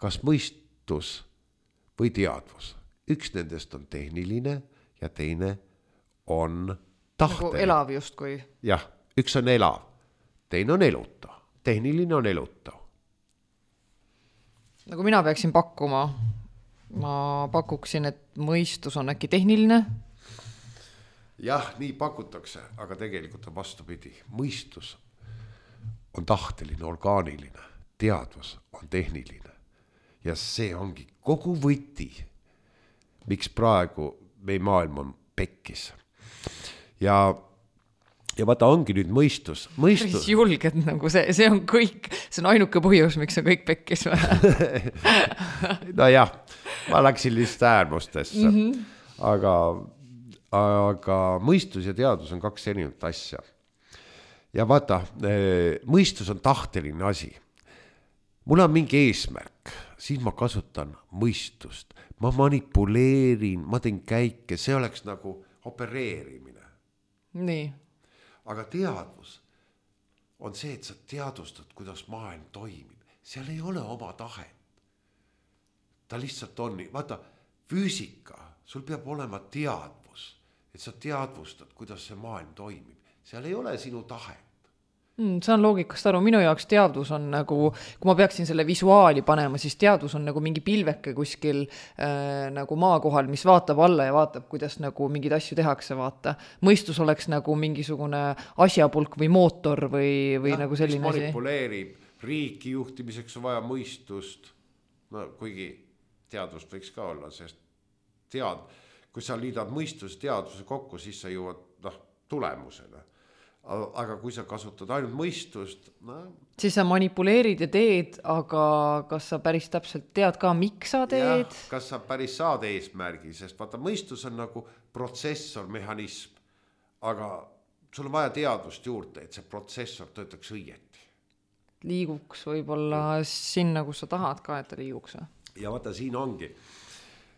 Kas mõistus või teadvus? Üks nendest on tehniline ja teine on tahteline. Nagu elav justkui. Jah, üks on elav, teine on elutav. Tehniline on elutav. Nagu mina peaksin pakkuma, ma pakuksin, et mõistus on äkki tehniline. Jah, nii pakutakse, aga tegelikult on vastupidi. Mõistus on tahteline, orgaaniline, teadvus on tehniline. Ja see ongi kogu võti, miks praegu meie maailm on pekkis. Ja, ja vaata, ongi nüüd mõistus. mõistus... Julged, nagu see, see on kõik, see on ainuke põhjus, miks on kõik pekkis. No jah, ma läksin lihtsalt äärmustesse. Mm -hmm. Aga, aga mõistus ja teadus on kaks erinevat asja. Ja vaata, mõistus on tahteline asi. Mul on mingi eesmärk, siis ma kasutan mõistust. Ma manipuleerin, ma teen käike, see oleks nagu opereerimine. Nii. Aga teadvus on see, et sa teadvustad, kuidas maailm toimib. Seal ei ole oma tahet. Ta lihtsalt on nii. Vaata, füüsika, sul peab olema teadvus, et sa teadvustad, kuidas see maailm toimib. Seal ei ole sinu tahet. Mm, saan loogikast aru, minu jaoks teadvus on nagu, kui ma peaksin selle visuaali panema, siis teadvus on nagu mingi pilveke kuskil äh, nagu maa kohal, mis vaatab alla ja vaatab, kuidas nagu mingid asju tehakse, vaata. Mõistus oleks nagu mingisugune asjapulk või mootor või, või ja, nagu selline asi. Manipuleerib, riiki juhtimiseks on vaja mõistust, no kuigi teadvust võiks ka olla, sest tead, kui sa liidad mõistuse teadvuse kokku, siis sa jõuad noh, tulemusele. Aga kui sa kasutad ainult mõistust, no... siis sa manipuleerid ja teed, aga kas sa päris täpselt tead ka, miks sa teed? Ja, kas sa päris saad eesmärgi, sest vaata, mõistus on nagu protsessor, mehhanism, aga sul on vaja teadvust juurde, et see protsessor töötaks õieti. Liiguks võib-olla sinna, kus sa tahad ka, et ta liiguks. Ja vaata, siin ongi.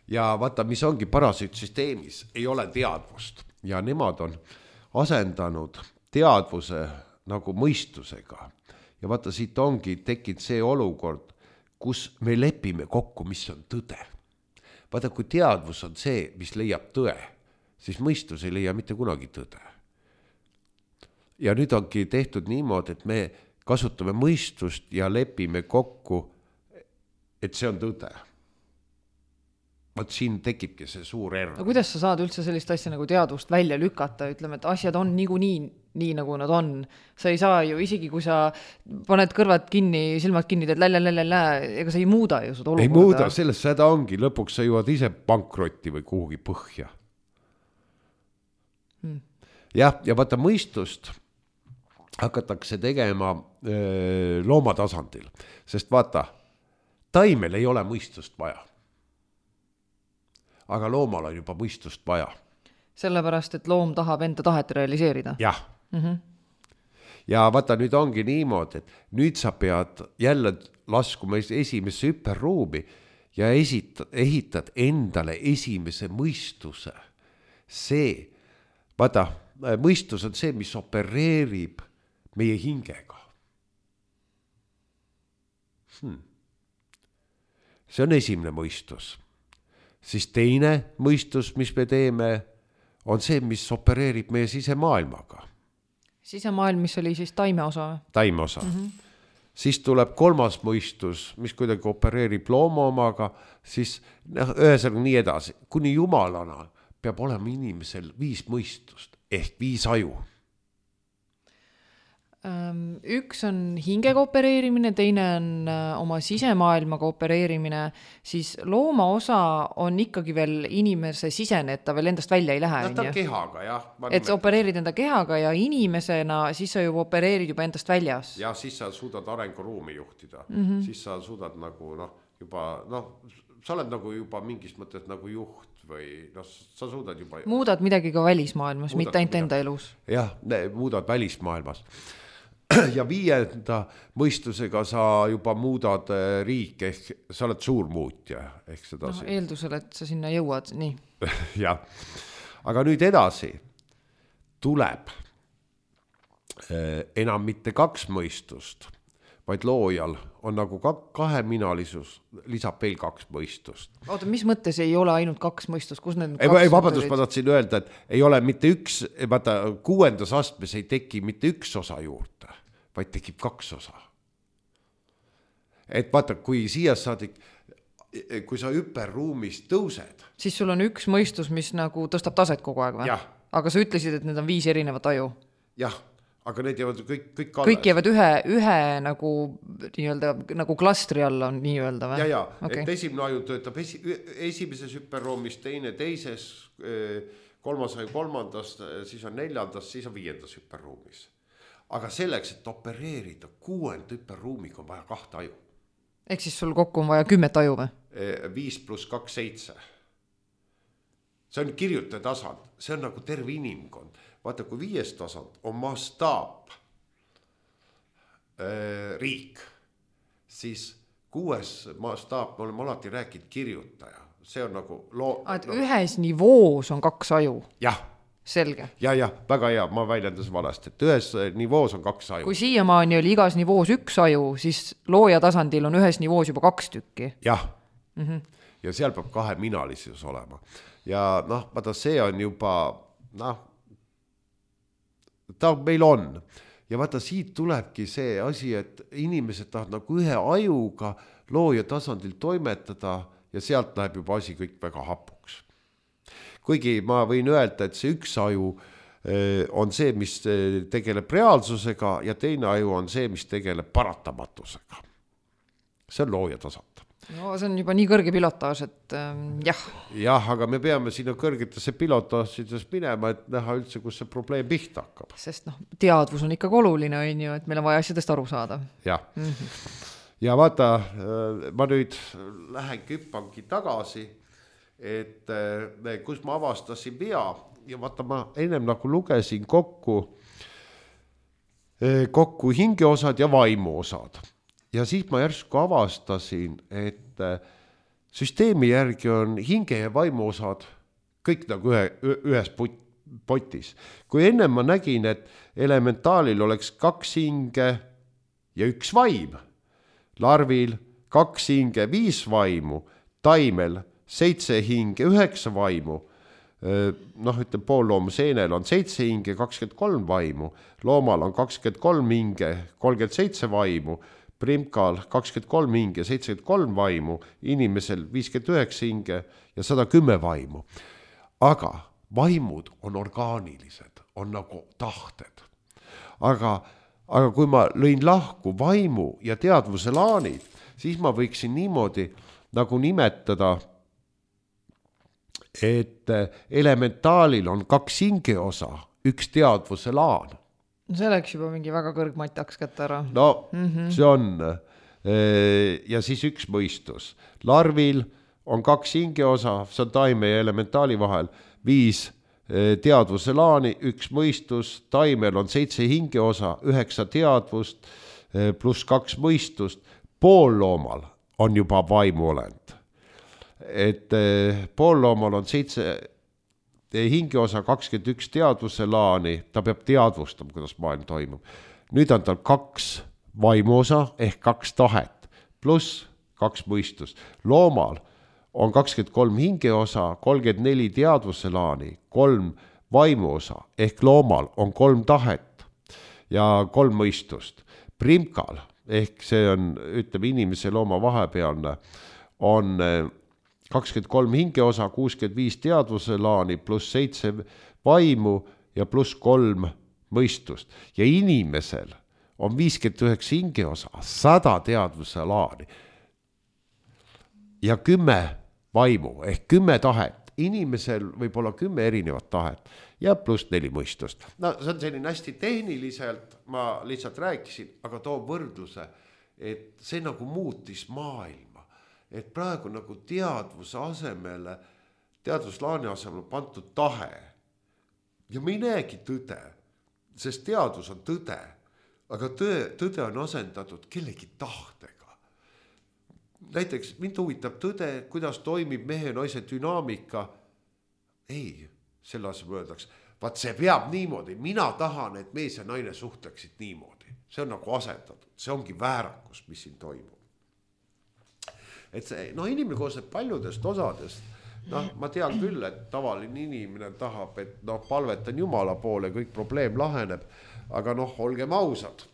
Ja vaata, mis ongi parasüütsüsteemis, ei ole teadvust ja nemad on asendanud teadvuse nagu mõistusega. Ja vaata, siit ongi tekkinud see olukord, kus me lepime kokku, mis on tõde. Vaata, kui teadvus on see, mis leiab tõe, siis mõistus ei leia mitte kunagi tõde. Ja nüüd ongi tehtud niimoodi, et me kasutame mõistust ja lepime kokku, et see on tõde. Vaat siin tekibki see suur error. No kuidas sa saad üldse sellist asja nagu teadvust välja lükata, ütleme, et asjad on niigu nii, nii nagu nad on. Sa ei saa ju, isegi kui sa paned kõrvad kinni, silmad kinni, teed lälälälälä, ega sa ei muuda ju seda olukorda. Ei muuda, sellest seda ongi, lõpuks sa jõuad ise pankrotti või kuhugi põhja. Hmm. Jah, ja vaata mõistust hakatakse tegema öö, loomatasandil, sest vaata, taimel ei ole mõistust vaja. Aga loomal on juba mõistust vaja. Sellepärast, et loom tahab enda tahet realiseerida. Jah. Mm-hmm. Ja vaata, nüüd ongi niimoodi, et nüüd sa pead jälle laskuma esimesse hüperruumi ja esitad, ehitad endale esimese mõistuse. See, vaata, mõistus on see, mis opereerib meie hingega. Hmm. See on esimene mõistus. Siis teine mõistus, mis me teeme, on see, mis opereerib meie sisemaailmaga. sisemaailm, mis oli siis taime osa? Taime osa. Mm-hmm. Siis tuleb kolmas mõistus, mis kuidagi opereerib looma omaga, siis ühesõnaga nii edasi. Kuni jumalana peab olema inimesel viis mõistust ehk viis aju. Üks on hingega opereerimine, teine on oma sisemaailmaga opereerimine, siis looma osa on ikkagi veel inimese sisene, et ta veel endast välja ei lähe. No, ta on kehaga, jah. Et sa opereerid enda kehaga ja inimesena, siis sa juba opereerid juba endast väljas. Ja siis sa suudad arenguruumi juhtida. Mm-hmm. Siis sa suudad nagu, noh, juba, noh, sa oled nagu juba mingis mõttes nagu juht või noh, sa suudad juba... Muudad midagi ka välismaailmas, mitte ainult enda elus. Jah, muudad välismaailmas. Ja viienda mõistusega sa juba muudad riik, ehk sa oled suur muutja. Ehk seda no, eeldusel, et sa sinna jõuad, nii. Ja. Aga nüüd edasi tuleb enam mitte kaks mõistust, vaid loojal on nagu kaheminalisus, lisab veel kaks mõistust. Oota, mis mõttes ei ole ainult kaks mõistust? Kus need ei, ei vabandust, ma tahtsin öelda, et ei ole mitte üks, vaata, kuuendas astmes ei teki mitte üks osa juurde, vaid tekib kaks osa. Et vaata, kui siia saadik, kui sa hüperruumis tõused, siis sul on üks mõistus, mis nagu tõstab taset kogu aeg või? Jah. Aga sa ütlesid, et need on viis erinevat aju. Jah. Aga need jäävad kõik, kõik alles. Kõik jäävad ühe, ühe nagu, nii-öelda, nagu klastri alla on nii-öelda või? Ja, ja, okay. Et esimene aju töötab esi, esimeses hüperruumis, teine teises, kolmas aju kolmandas, siis on neljandas, siis on viiendas hüperruumis. Aga selleks, et opereerida kuuend hüperruumiga on vaja kahte aju. Ehk siis sul kokku on vaja kümmet aju või? Viis pluss kaks, seitse. See on kirjutaja tasand, see on nagu terve inimkond. Vaata, kui viies tasand on mastaap äh, riik, siis kuues mastaap, me oleme alati rääkinud kirjutaja. See on nagu... Loo, et no, ühes nivoos on kaks aju? Jah. Selge. Ja, ja, väga hea, ma väljendas valesti, et ühes nivoos on kaks aju. Kui siiamaani oli igas nivoos üks aju, siis looja tasandil on ühes nivoos juba kaks tükki. Jah. Mm-hmm. Ja seal peab kahe minalisus olema. Ja noh, vaata, see on juba, noh, ta meil on. Ja vaata, siit tulebki see asi, et inimesed tahavad nagu ühe ajuga looja tasandil toimetada ja sealt läheb juba asi kõik väga hapuks. Kuigi ma võin öelda, et see üks aju on see, mis tegeleb reaalsusega ja teine aju on see, mis tegeleb paratamatusega. See on looja tasand. No see on juba nii kõrge pilotaaž, et ähm, jah. Jah, aga me peame sinna kõrgetesse pilotaažides minema, et näha üldse, kus see probleem pihta hakkab. Sest noh, teadvus on ikkagi oluline, on ju, et meil on vaja asjadest aru saada. Jah. Mm-hmm. Ja vaata, ma nüüd lähen küppangi tagasi, et kus ma avastasin vea ja vaata, ma ennem nagu lugesin kokku, kokku hingeosad ja vaimuosad. Ja siis ma järsku avastasin, et süsteemi järgi on hinge ja vaimu osad kõik nagu ühe, ühes potis. Kui enne ma nägin, et elementaalil oleks kaks hinge ja üks vaim, larvil kaks hinge, viis vaimu, taimel seitse hinge, üheksa vaimu, noh, ütleme, poolloomu seenel on seitse hinge, kakskümmend kolm vaimu, loomal on kakskümmend kolm hinge, kolmkümmend seitse vaimu, primkal kakskümmend kolm hinge, seitsekümmend kolm vaimu, inimesel viiskümmend üheksa hinge ja sada kümme vaimu. Aga vaimud on orgaanilised, on nagu tahted. Aga, aga kui ma lõin lahku vaimu ja teadvuse laanid, siis ma võiksin niimoodi nagu nimetada, et elementaalil on kaks hingeosa, üks teadvuse laan. See läks juba mingi väga kõrgmataks kätte ära. No, mm-hmm. See on. Ja siis üks mõistus. Larvil on kaks hingeosa, see on taime ja elementaali vahel, viis teadvuse laani, üks mõistus, taimel on seitse hingeosa, üheksa teadvust, pluss kaks mõistust, poolloomal on juba vaimuolend. Et poolloomal on seitse hingeosa kakskümmend üks teadvuse laani, ta peab teadvustama, kuidas maailm toimub. Nüüd on tal kaks vaimuosa ehk kaks tahet, pluss kaks mõistus. Loomal on kakskümmend kolm hingeosa, kolmkümmend neli teadvuse laani, kolm vaimuosa ehk loomal on kolm tahet. ja kolm mõistust. Primkal, ehk see on, ütleme, inimese looma vahepealne, on kakskümmend kolm hingeosa, kuuskümmend viis teadvuse laani, pluss seitse vaimu ja pluss kolm mõistust. Ja inimesel on viiskümmend üheksa hingeosa, sada teadvuse laani ja kümme vaimu ehk kümme tahet. Inimesel võib olla kümme erinevat tahet ja pluss neli mõistust. No see on selline hästi tehniliselt, ma lihtsalt rääkisin, aga toon võrdluse, et see nagu muutis maailma. Et praegu nagu teadvuse asemele, teadvuslaani asemele pantud tahe. Ja me ei näegi tõde, sest teadvus on tõde, aga tõde, tõde on asendatud kellegi tahtega. Näiteks mind huvitab tõde, kuidas toimib mehe ja naise dünaamika. Ei, selle asemel öeldakse, vaat see peab niimoodi, mina tahan, et mees ja naine suhtleksid niimoodi. See on nagu asendatud, see ongi väärakus, mis siin toimub. Et see, no inimene koosneb paljudest osadest. No, ma tean küll, et tavaline inimene tahab, et no, palvetan Jumala poole, kõik probleem laheneb, aga noh, olgem ausad,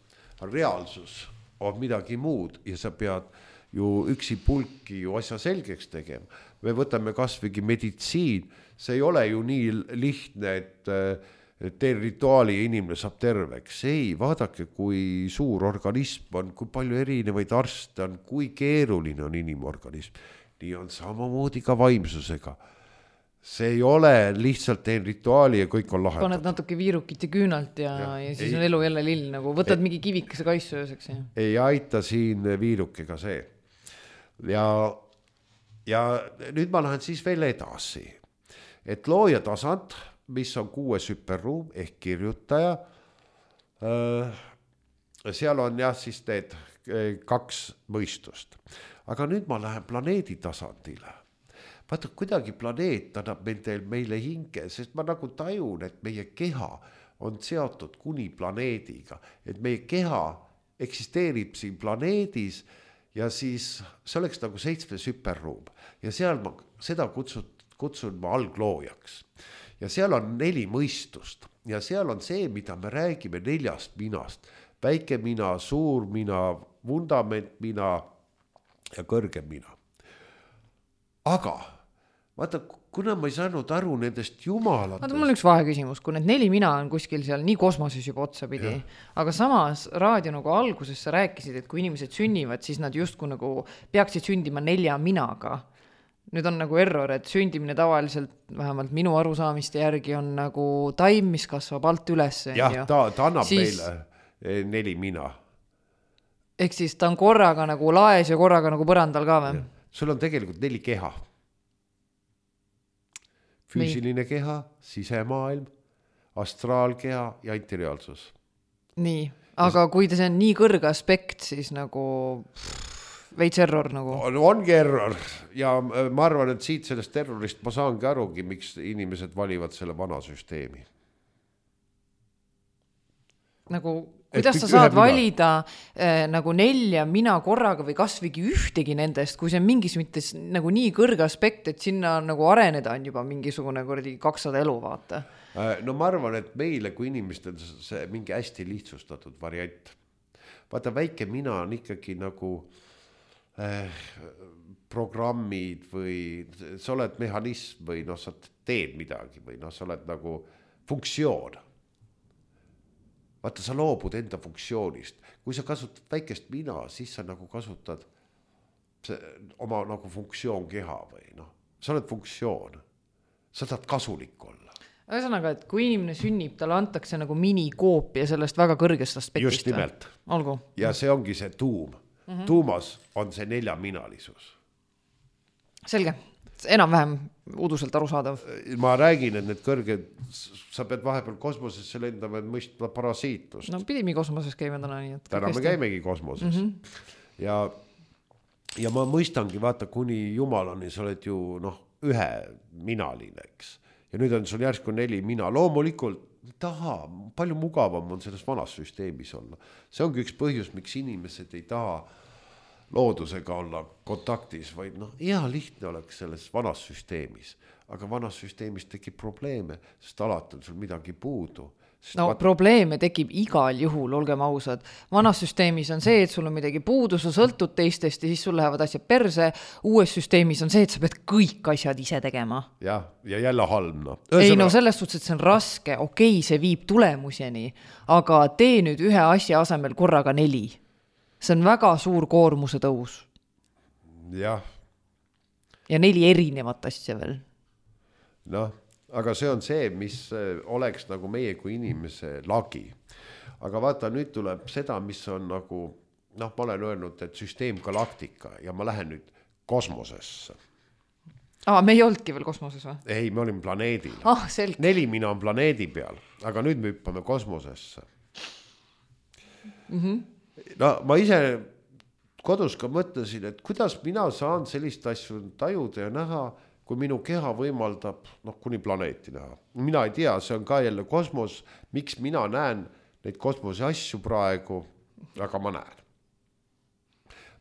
reaalsus on midagi muud ja sa pead ju üksi pulki ju asja selgeks tegema. Me võtame kasvõigi meditsiin, see ei ole ju nii lihtne, et teen rituaali ja inimene saab terveks. Ei, vaadake, kui suur organism on, kui palju erinevaid arste on, kui keeruline on inimorganism. Nii on samamoodi ka vaimsusega. See ei ole lihtsalt teen rituaali ja kõik on lahendatud. Paned natuke viirukit ja küünalt ja, ja, ja siis ei, on elu jälle lill, nagu võtad ei, mingi kivikese kaisu ööseks. Ja. Ei aita siin viirukega see. Ja, ja nüüd ma lähen siis veel edasi. Et looja tasand, mis on kuues hüperruum ehk kirjutaja, seal on jah siis need kaks mõistust. Aga nüüd ma lähen planeedi tasandile. Vaata, kuidagi planeet annab meile hinge, sest ma nagu tajun, et meie keha on seotud kuni planeediga. Et meie keha eksisteerib siin planeedis ja siis see oleks nagu seitsmes hüperruum. Ja seal ma seda kutsun, kutsun ma algloojaks. Ja seal on neli mõistust. Ja seal on see, mida me räägime neljast minast. Väike mina, suur mina, vundament mina ja kõrgem mina. Aga vaata, kuna ma ei saanud aru nendest jumalatest. Vaata, mul on üks vaheküsimus, kui need neli mina on kuskil seal nii kosmoses juba otsapidi, aga samas raadio nagu alguses sa rääkisid, et kui inimesed sünnivad, siis nad justkui nagu peaksid sündima nelja minaga. Nüüd on nagu error, et sündimine tavaliselt, vähemalt minu arusaamiste järgi on nagu taim, mis kasvab alt üles. Jah, ta, ta annab siis meile neli mina. Ehk siis ta on korraga nagu laes ja korraga nagu põrandal ka või? Sul on tegelikult neli keha. Füüsiline keha, sisemaailm, astraalkeha ja interiaalsus. Nii, aga kui see on nii kõrge aspekt, siis nagu veits error nagu. On, ongi error ja ma arvan, et siit sellest terrorist ma saangi arugi, miks inimesed valivad selle vana süsteemi. Nagu kuidas sa saad valida eh, nagu nelja mina korraga või kasvõigi ühtegi nendest, kui see on mingis mõttes nagu nii kõrge aspekt, et sinna nagu areneda on juba mingisugune kuradi kakssada elu vaata. No ma arvan, et meile kui inimestel see mingi hästi lihtsustatud variant. Vaata, väike mina on ikkagi nagu eh, programmid või sa oled mehhanism või noh, sa teed midagi või noh, sa oled nagu funktsioon. Vaata, sa loobud enda funktsioonist. Kui sa kasutad väikest mina, siis sa nagu kasutad see, oma nagu funktsioon keha või noh, sa oled funktsioon. Sa tahad kasulik olla. Ühesõnaga, et kui inimene sünnib, talle antakse nagu minikoopia sellest väga kõrgest aspektist. Just nimelt. Olgu. Ja see ongi see tuum. Mm-hmm. Tuumas on see neljaminalisus. Selge. Enam-vähem uduselt arusaadav. Ma räägin, et need kõrged, sa pead vahepeal kosmosesse lendama, et mõista parasiitlust. No pidime kosmoses käima täna nii. Et täna me käimegi kosmoses. Mm-hmm. Ja, ja ma mõistangi, vaata, kuni Jumalani sa oled ju noh, ühe minaline, eks. Ja nüüd on sul järsku neli mina. Loomulikult, taha, palju mugavam on selles vanas süsteemis olla. See ongi üks põhjus, miks inimesed ei taha loodusega olla kontaktis, vaid noh, hea lihtne oleks selles vanas süsteemis, aga vanas süsteemis tekib probleeme, sest alati on sul midagi puudu. No vaat... probleeme tekib igal juhul, olgem ausad. Vanas süsteemis on see, et sul on midagi puudu, sa sõltud teistest ja siis sul lähevad asjad perse. Uues süsteemis on see, et sa pead kõik asjad ise tegema. Ja, ja jälle halb. No. Ei no selles suhtes, et see on raske, okei, see viib tulemuseni, aga tee nüüd ühe asja asemel korraga neli. See on väga suur koormuse tõus. Jah. Ja neli erinevat asja veel. Noh, aga see on see, mis oleks nagu meie kui inimese lagi. Aga vaata, nüüd tuleb seda, mis on nagu, noh, ma olen öelnud, et süsteem galaktika ja ma lähen nüüd kosmosesse. Aa, me ei olnudki veel kosmoses või? Ei, me olime planeedil. Ah, selge. Neli mina on planeedi peal, aga nüüd me hüppame kosmosesse. Mhm. No ma ise kodus ka mõtlesin, et kuidas mina saan sellist asju tajuda ja näha, kui minu keha võimaldab noh, kuni planeeti näha. Mina ei tea, see on ka jälle kosmos, miks mina näen neid kosmose asju praegu, aga ma näen.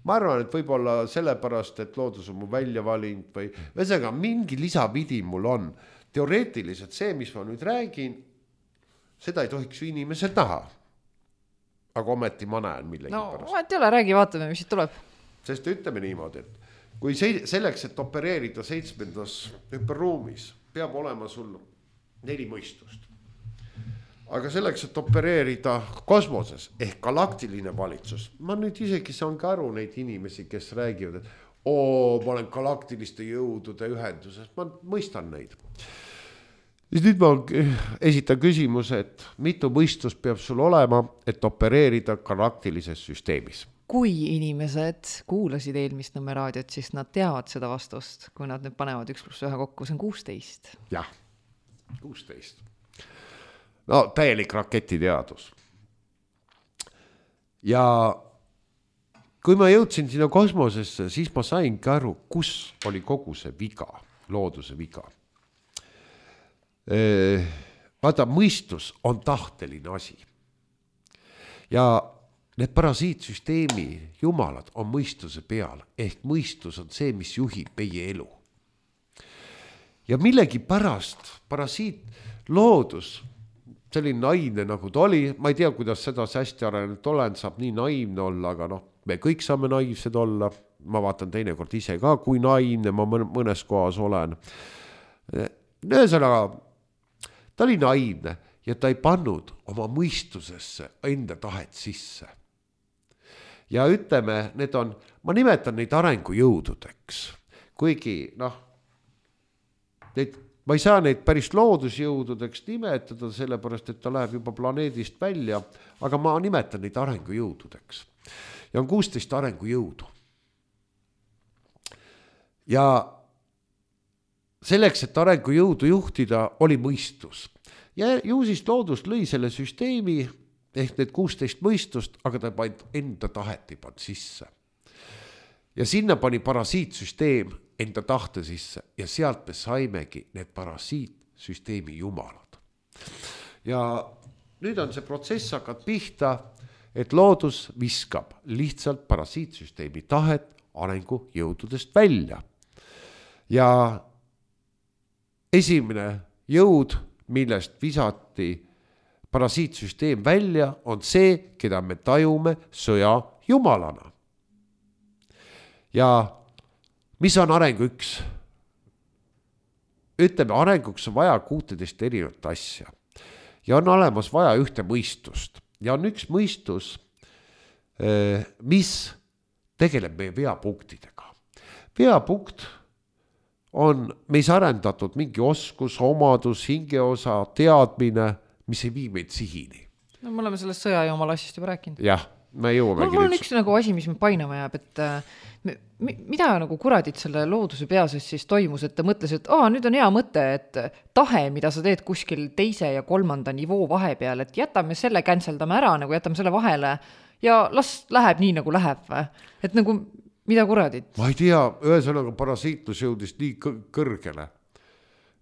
Ma arvan, et võib-olla sellepärast, et loodus on mu välja valinud või ühesõnaga mingi lisavidi mul on. Teoreetiliselt see, mis ma nüüd räägin, seda ei tohiks ju inimesed näha. Aga ometi ma näen millegi no, pärast. No, et ei ole, räägi, vaatame, mis siit tuleb. Sest ütleme niimoodi, et kui selleks, et opereerida seitsmendas hüperruumis, peab olema sul neli mõistust. Aga selleks, et opereerida kosmoses ehk galaktiline valitsus, ma nüüd isegi saan ka aru neid inimesi, kes räägivad, et oo, ma olen galaktiliste jõudude ühenduses, ma mõistan neid. Siis nüüd ma esitan küsimuse, et mitu mõistust peab sul olema, et opereerida galaktilises süsteemis? Kui inimesed kuulasid eelmist Nõmme raadiot, siis nad teavad seda vastust, kui nad nüüd panevad üks pluss ühe kokku, see on kuusteist. Jah, kuusteist. No täielik raketiteadus. Ja kui ma jõudsin sinna kosmosesse, siis ma sain ka aru, kus oli kogu see viga, looduse viga. Vaata, mõistus on tahteline asi. Ja need parasiitsüsteemi jumalad on mõistuse peal, ehk mõistus on see, mis juhib meie elu. Ja millegi pärast parasiit loodus, selline naivne nagu ta oli, ma ei tea, kuidas seda hästi arenenud olen, saab nii naivne olla, aga noh, me kõik saame naivsed olla, ma vaatan teinekord ise ka, kui naivne ma mõnes kohas olen. Ühesõnaga, ta oli naivne ja ta ei pannud oma mõistusesse enda tahet sisse. Ja ütleme, need on, ma nimetan neid arengujõududeks, kuigi noh, neid, ma ei saa neid päris loodusjõududeks nimetada, sellepärast, et ta läheb juba planeedist välja, aga ma nimetan neid arengujõududeks. Ja on kuusteist arengujõudu. Ja selleks, et arengujõudu juhtida, oli mõistus. Ja ju siis loodus lõi selle süsteemi, ehk need kuusteist mõistust, aga ta panid enda tahet ei pannud sisse. Ja sinna pani parasiitsüsteem enda tahte sisse ja sealt me saimegi need parasiitsüsteemi jumalad. Ja nüüd on see protsess hakkad pihta, et loodus viskab lihtsalt parasiitsüsteemi tahet arengujõududest välja. Ja esimene jõud, millest visati parasiitsüsteem välja, on see, keda me tajume sõja jumalana. Ja mis on arengu üks? Ütleme, arenguks on vaja kuusteist erinevat asja. Ja on olemas vaja ühte mõistust. Ja on üks mõistus, mis tegeleb meie veapunktidega. Veapunkt on meis arendatud mingi oskus, omadus, hingeosa, teadmine, mis ei vii meid sihini. No me oleme sellest sõja ja omal asjast juba rääkinud. Jah, me jõuamegi. Mul on üks nagu asi, mis me painama jääb, et me, mida nagu kuradid selle looduse peases siis toimus, et ta mõtles, et aa, nüüd on hea mõte, et tahe, mida sa teed kuskil teise ja kolmanda nivoo vahepeal, et jätame selle canceldame ära, nagu jätame selle vahele ja las läheb nii, nagu läheb. Et nagu mida kuradid? Ma ei tea, ühesõnaga parasiitlus jõudis nii kõrgele,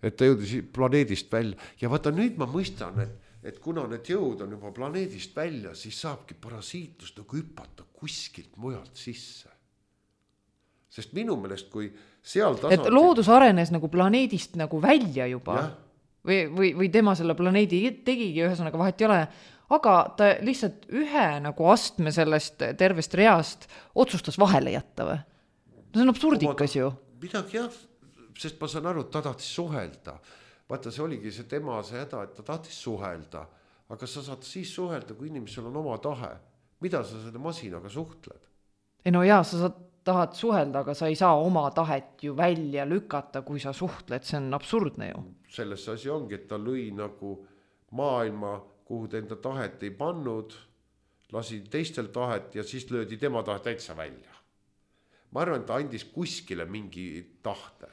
et ta jõudis planeedist välja. Ja vaata, nüüd ma mõistan, et, et kuna need jõud on juba planeedist välja, siis saabki parasiitlus nagu hüpata kuskilt mujalt sisse. sest minu meelest, kui seal tasandil... Et loodus arenes nagu planeedist nagu välja juba ja. või, või, või tema selle planeedi tegigi, ühesõnaga vahet ei ole, aga ta lihtsalt ühe nagu astme sellest tervest reast otsustas vahele jätta või? See on absurdikas ju. Midagi jah, sest ma saan aru, et ta tahtis suhelda. Vaata, see oligi see tema see häda, et ta tahtis suhelda. Aga sa saad siis suhelda, kui inimesel on oma tahe. Mida sa selle masinaga suhtled? Ei no jaa, sa saad, tahad suhelda, aga sa ei saa oma tahet ju välja lükata, kui sa suhtled. See on absurdne ju. Selles asi ongi, et ta lõi nagu maailma, kuhu ta enda tahet ei pannud, lasi teistel tahet ja siis löödi tema tahet täitsa välja. Ma arvan, et ta andis kuskile mingi tahte.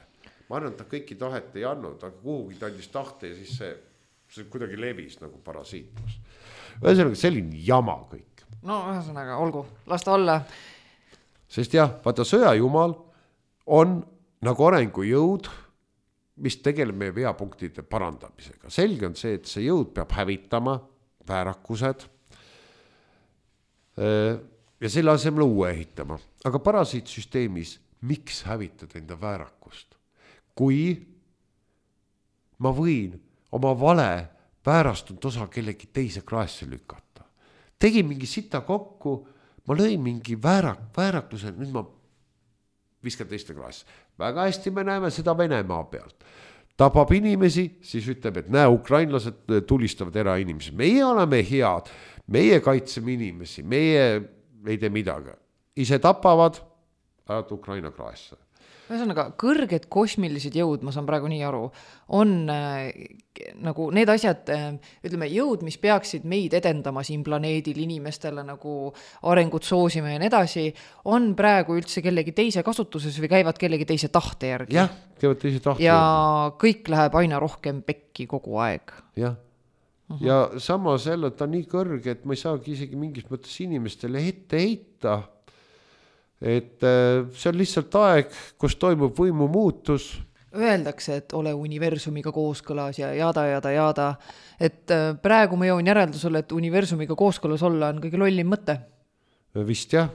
Ma arvan, et ta kõiki tahet ei andnud, aga kuhugi ta andis tahte ja siis see, see kuidagi levis nagu parasiitlus. Ühesõnaga, selline jama kõik. No ühesõnaga, olgu, las ta olla. Sest jah, vaata sõjajumal on nagu arengujõud, mis tegeleb meie veapunktide parandamisega. Selge on see, et see jõud peab hävitama väärakused ja selle asemel uue ehitama. Aga parasiitsüsteemis, miks hävitada enda väärakust? Kui ma võin oma vale väärastunud osa kellegi teise kraesse lükata. Tegin mingi sita kokku, ma lõin mingi väärak, väärakluse, nüüd ma viskan teiste kraesse. Väga hästi me näeme seda Venemaa pealt. Tapab inimesi, siis ütleb, et näe, ukrainlased tulistavad erainimesi. Meie oleme head, meie kaitseme inimesi, meie ei tee midagi. Ise tapavad, ajad Ukraina kraesse. Ühesõnaga, kõrged kosmilised jõud, ma saan praegu nii aru, on äh, nagu need asjad, äh, ütleme, jõud, mis peaksid meid edendama siin planeedil inimestele nagu arengut soosima ja nii edasi, on praegu üldse kellegi teise kasutuses või käivad kellegi teise tahte järgi. Jah, käivad teise tahte ja järgi. Kõik läheb aina rohkem pekki kogu aeg. Jah. Uh-huh. Ja samas jälle ta on nii kõrge, et ma ei saagi isegi mingis mõttes inimestele ette heita. Et see on lihtsalt aeg, kus toimub võimu muutus. Öeldakse, et ole universumiga kooskõlas ja jada, jada, jada. Et praegu ma jõuan järeldusele, et universumiga kooskõlas olla on kõige lollim mõte. Vist jah.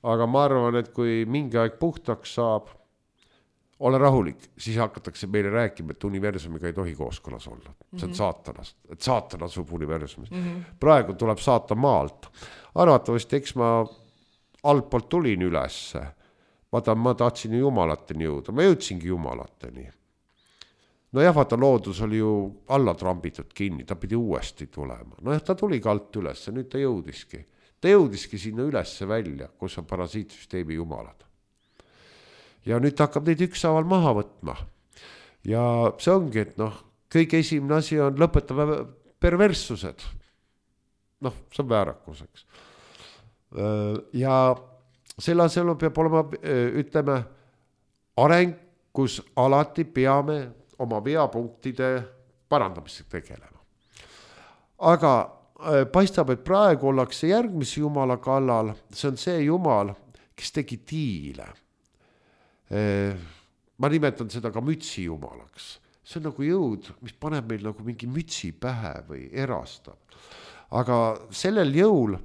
Aga ma arvan, et kui mingi aeg puhtaks saab, ole rahulik, siis hakatakse meile rääkima, et universumiga ei tohi kooskõlas olla. See on mm-hmm. saatanast, et saatan asub universumist. Mm-hmm. Praegu tuleb saata maalt. Arvatavasti, eks ma altpoolt tulin ülesse. Vaata, ma tahtsin ju jumalateni jõuda. Ma jõudsingi jumalateni. No jah, vaata, loodus oli ju alla trambitud kinni. Ta pidi uuesti tulema. No jah, ta tuli ka alt ülesse. Nüüd ta jõudiski. Ta jõudiski sinna ülesse välja, kus on parasiitsüsteemi jumalad. Ja nüüd ta hakkab neid ükshaaval maha võtma. Ja see ongi, et noh, kõige esimene asi on lõpetama perverssused. Noh, see on väärakuseks. Ja selle asemel peab olema, ütleme, areng, kus alati peame oma veapunktide parandamisega tegelema. Aga paistab, et praegu ollakse järgmise jumala kallal, see on see jumal, kes tegi diile. Ma nimetan seda ka mütsi jumalaks. See on nagu jõud, mis paneb meil nagu mingi mütsi pähe või erastab. Aga sellel jõul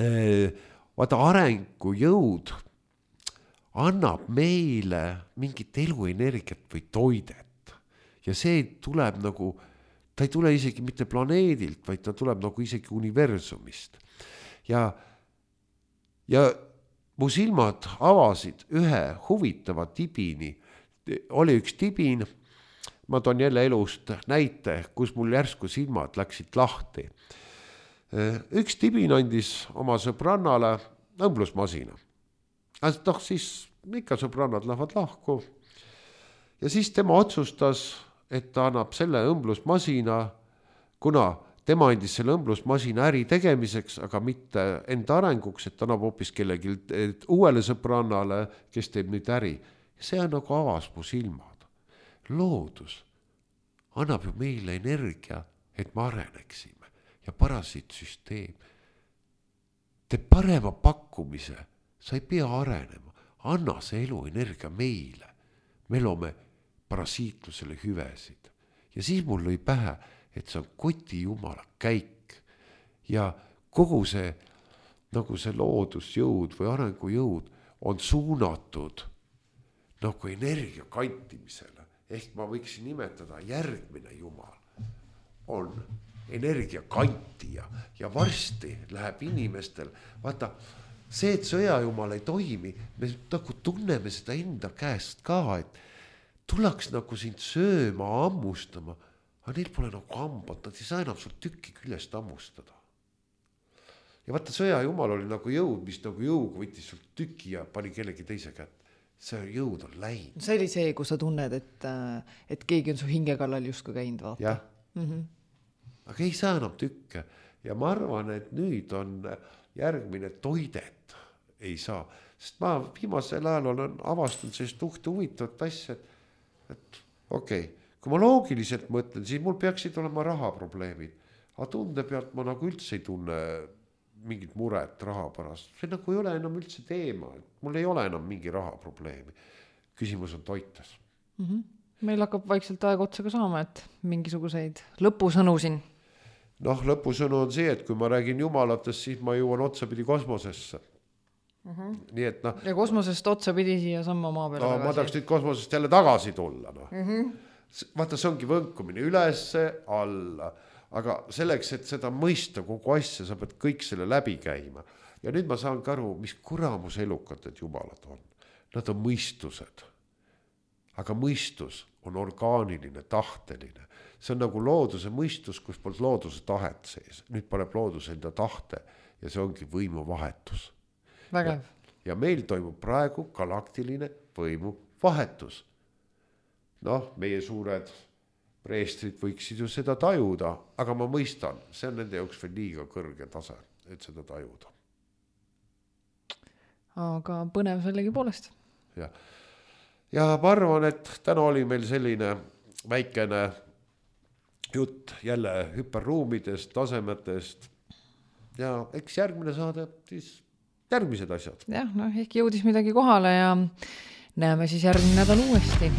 vaata arengu jõud annab meile mingit eluenergiat või toidet. Ja see tuleb nagu, ta ei tule isegi mitte planeedilt, vaid ta tuleb nagu isegi universumist. Ja, ja mu silmad avasid ühe huvitava tibini. Oli üks tibin, ma toon jälle elust näite, kus mul järsku silmad läksid lahti. Üks tibin andis oma sõbrannale õmblusmasina. Noh, siis ikka sõbrannad lähevad lahku. Ja siis tema otsustas, et ta annab selle õmblusmasina, kuna tema andis selle õmblusmasina äri tegemiseks, aga mitte enda arenguks, et ta annab hoopis kellegi uuele sõbrannale, kes teeb nüüd äri. See on nagu avas mu silmad. Loodus annab ju meile energia, et me areneksime. Ja parasiitsüsteem teeb parema pakkumise, sa ei pea arenema, anna see eluenergia meile, me loome parasiitlusele hüvesid ja siis mul lõi pähe, et see on koti jumala käik ja kogu see nagu see loodusjõud või arengujõud on suunatud nagu energia kantimisele. Ehk ma võiksin nimetada järgmine jumal on energia kantija ja varsti läheb inimestel, vaata, see, et sõjajumal ei toimi, me nagu tunneme seda enda käest ka, et tullaks nagu sind sööma, ammustama, aga neil pole nagu hambad, nad ei saa enam sul tükki küljest ammustada. Ja vaata, sõjajumal oli nagu jõud, mis nagu jõuga võttis sul tüki ja pani kellegi teise kätt. See jõud on läinud. See oli see, kus sa tunned, et, et keegi on su hinge kallal justkui käinud, vaata. Jah. Mm-hmm. Aga ei saa enam tükke. Ja ma arvan, et nüüd on järgmine toidet ei saa. Sest ma viimasel ajal olen avastanud sellist uhte huvitavat asja, et, et okei, okay, kui ma loogiliselt mõtlen, siis mul peaksid olema rahaprobleemid. Aga tunde pealt ma nagu üldse ei tunne mingit muret raha pärast. See nagu ei ole enam üldse teema. Mul ei ole enam mingi rahaprobleemi. Küsimus on toites. Mm-hmm. Meil hakkab vaikselt aeg otsa ka saama, et mingisuguseid lõpusõnu siin. Noh, lõpusõnu on see, et kui ma räägin jumalatest, siis ma jõuan otsapidi kosmosesse. Mm-hmm. Nii et noh. Ja kosmosest otsapidi siia samma maa peale no, tagasi. Ma tahaks nüüd kosmosest jälle tagasi tulla. No. Mm-hmm. Vaata, see ongi võnkumine ülesse, alla. Aga selleks, et seda mõista kogu asja, sa pead kõik selle läbi käima. Ja nüüd ma saan ka aru, mis kuramus elukad need jumalad on. Nad on mõistused. Aga mõistus on orgaaniline, tahteline. See on nagu looduse mõistus, kus polnud looduse tahet sees. Nüüd paneb looduse enda tahte ja see ongi võimu vahetus. Vägev. Ja, ja meil toimub praegu galaktiline võimu vahetus. Noh, meie suured preestrid võiksid ju seda tajuda, aga ma mõistan, see on nende jaoks veel liiga kõrge tase, et seda tajuda. Aga põnev sellegi poolest. Ja, ja ma arvan, et täna oli meil selline väikene jutt jälle hüperruumidest, tasemetest ja eks järgmine saade siis järgmised asjad. Jah, no ehk jõudis midagi kohale ja näeme siis järgmine nädal uuesti.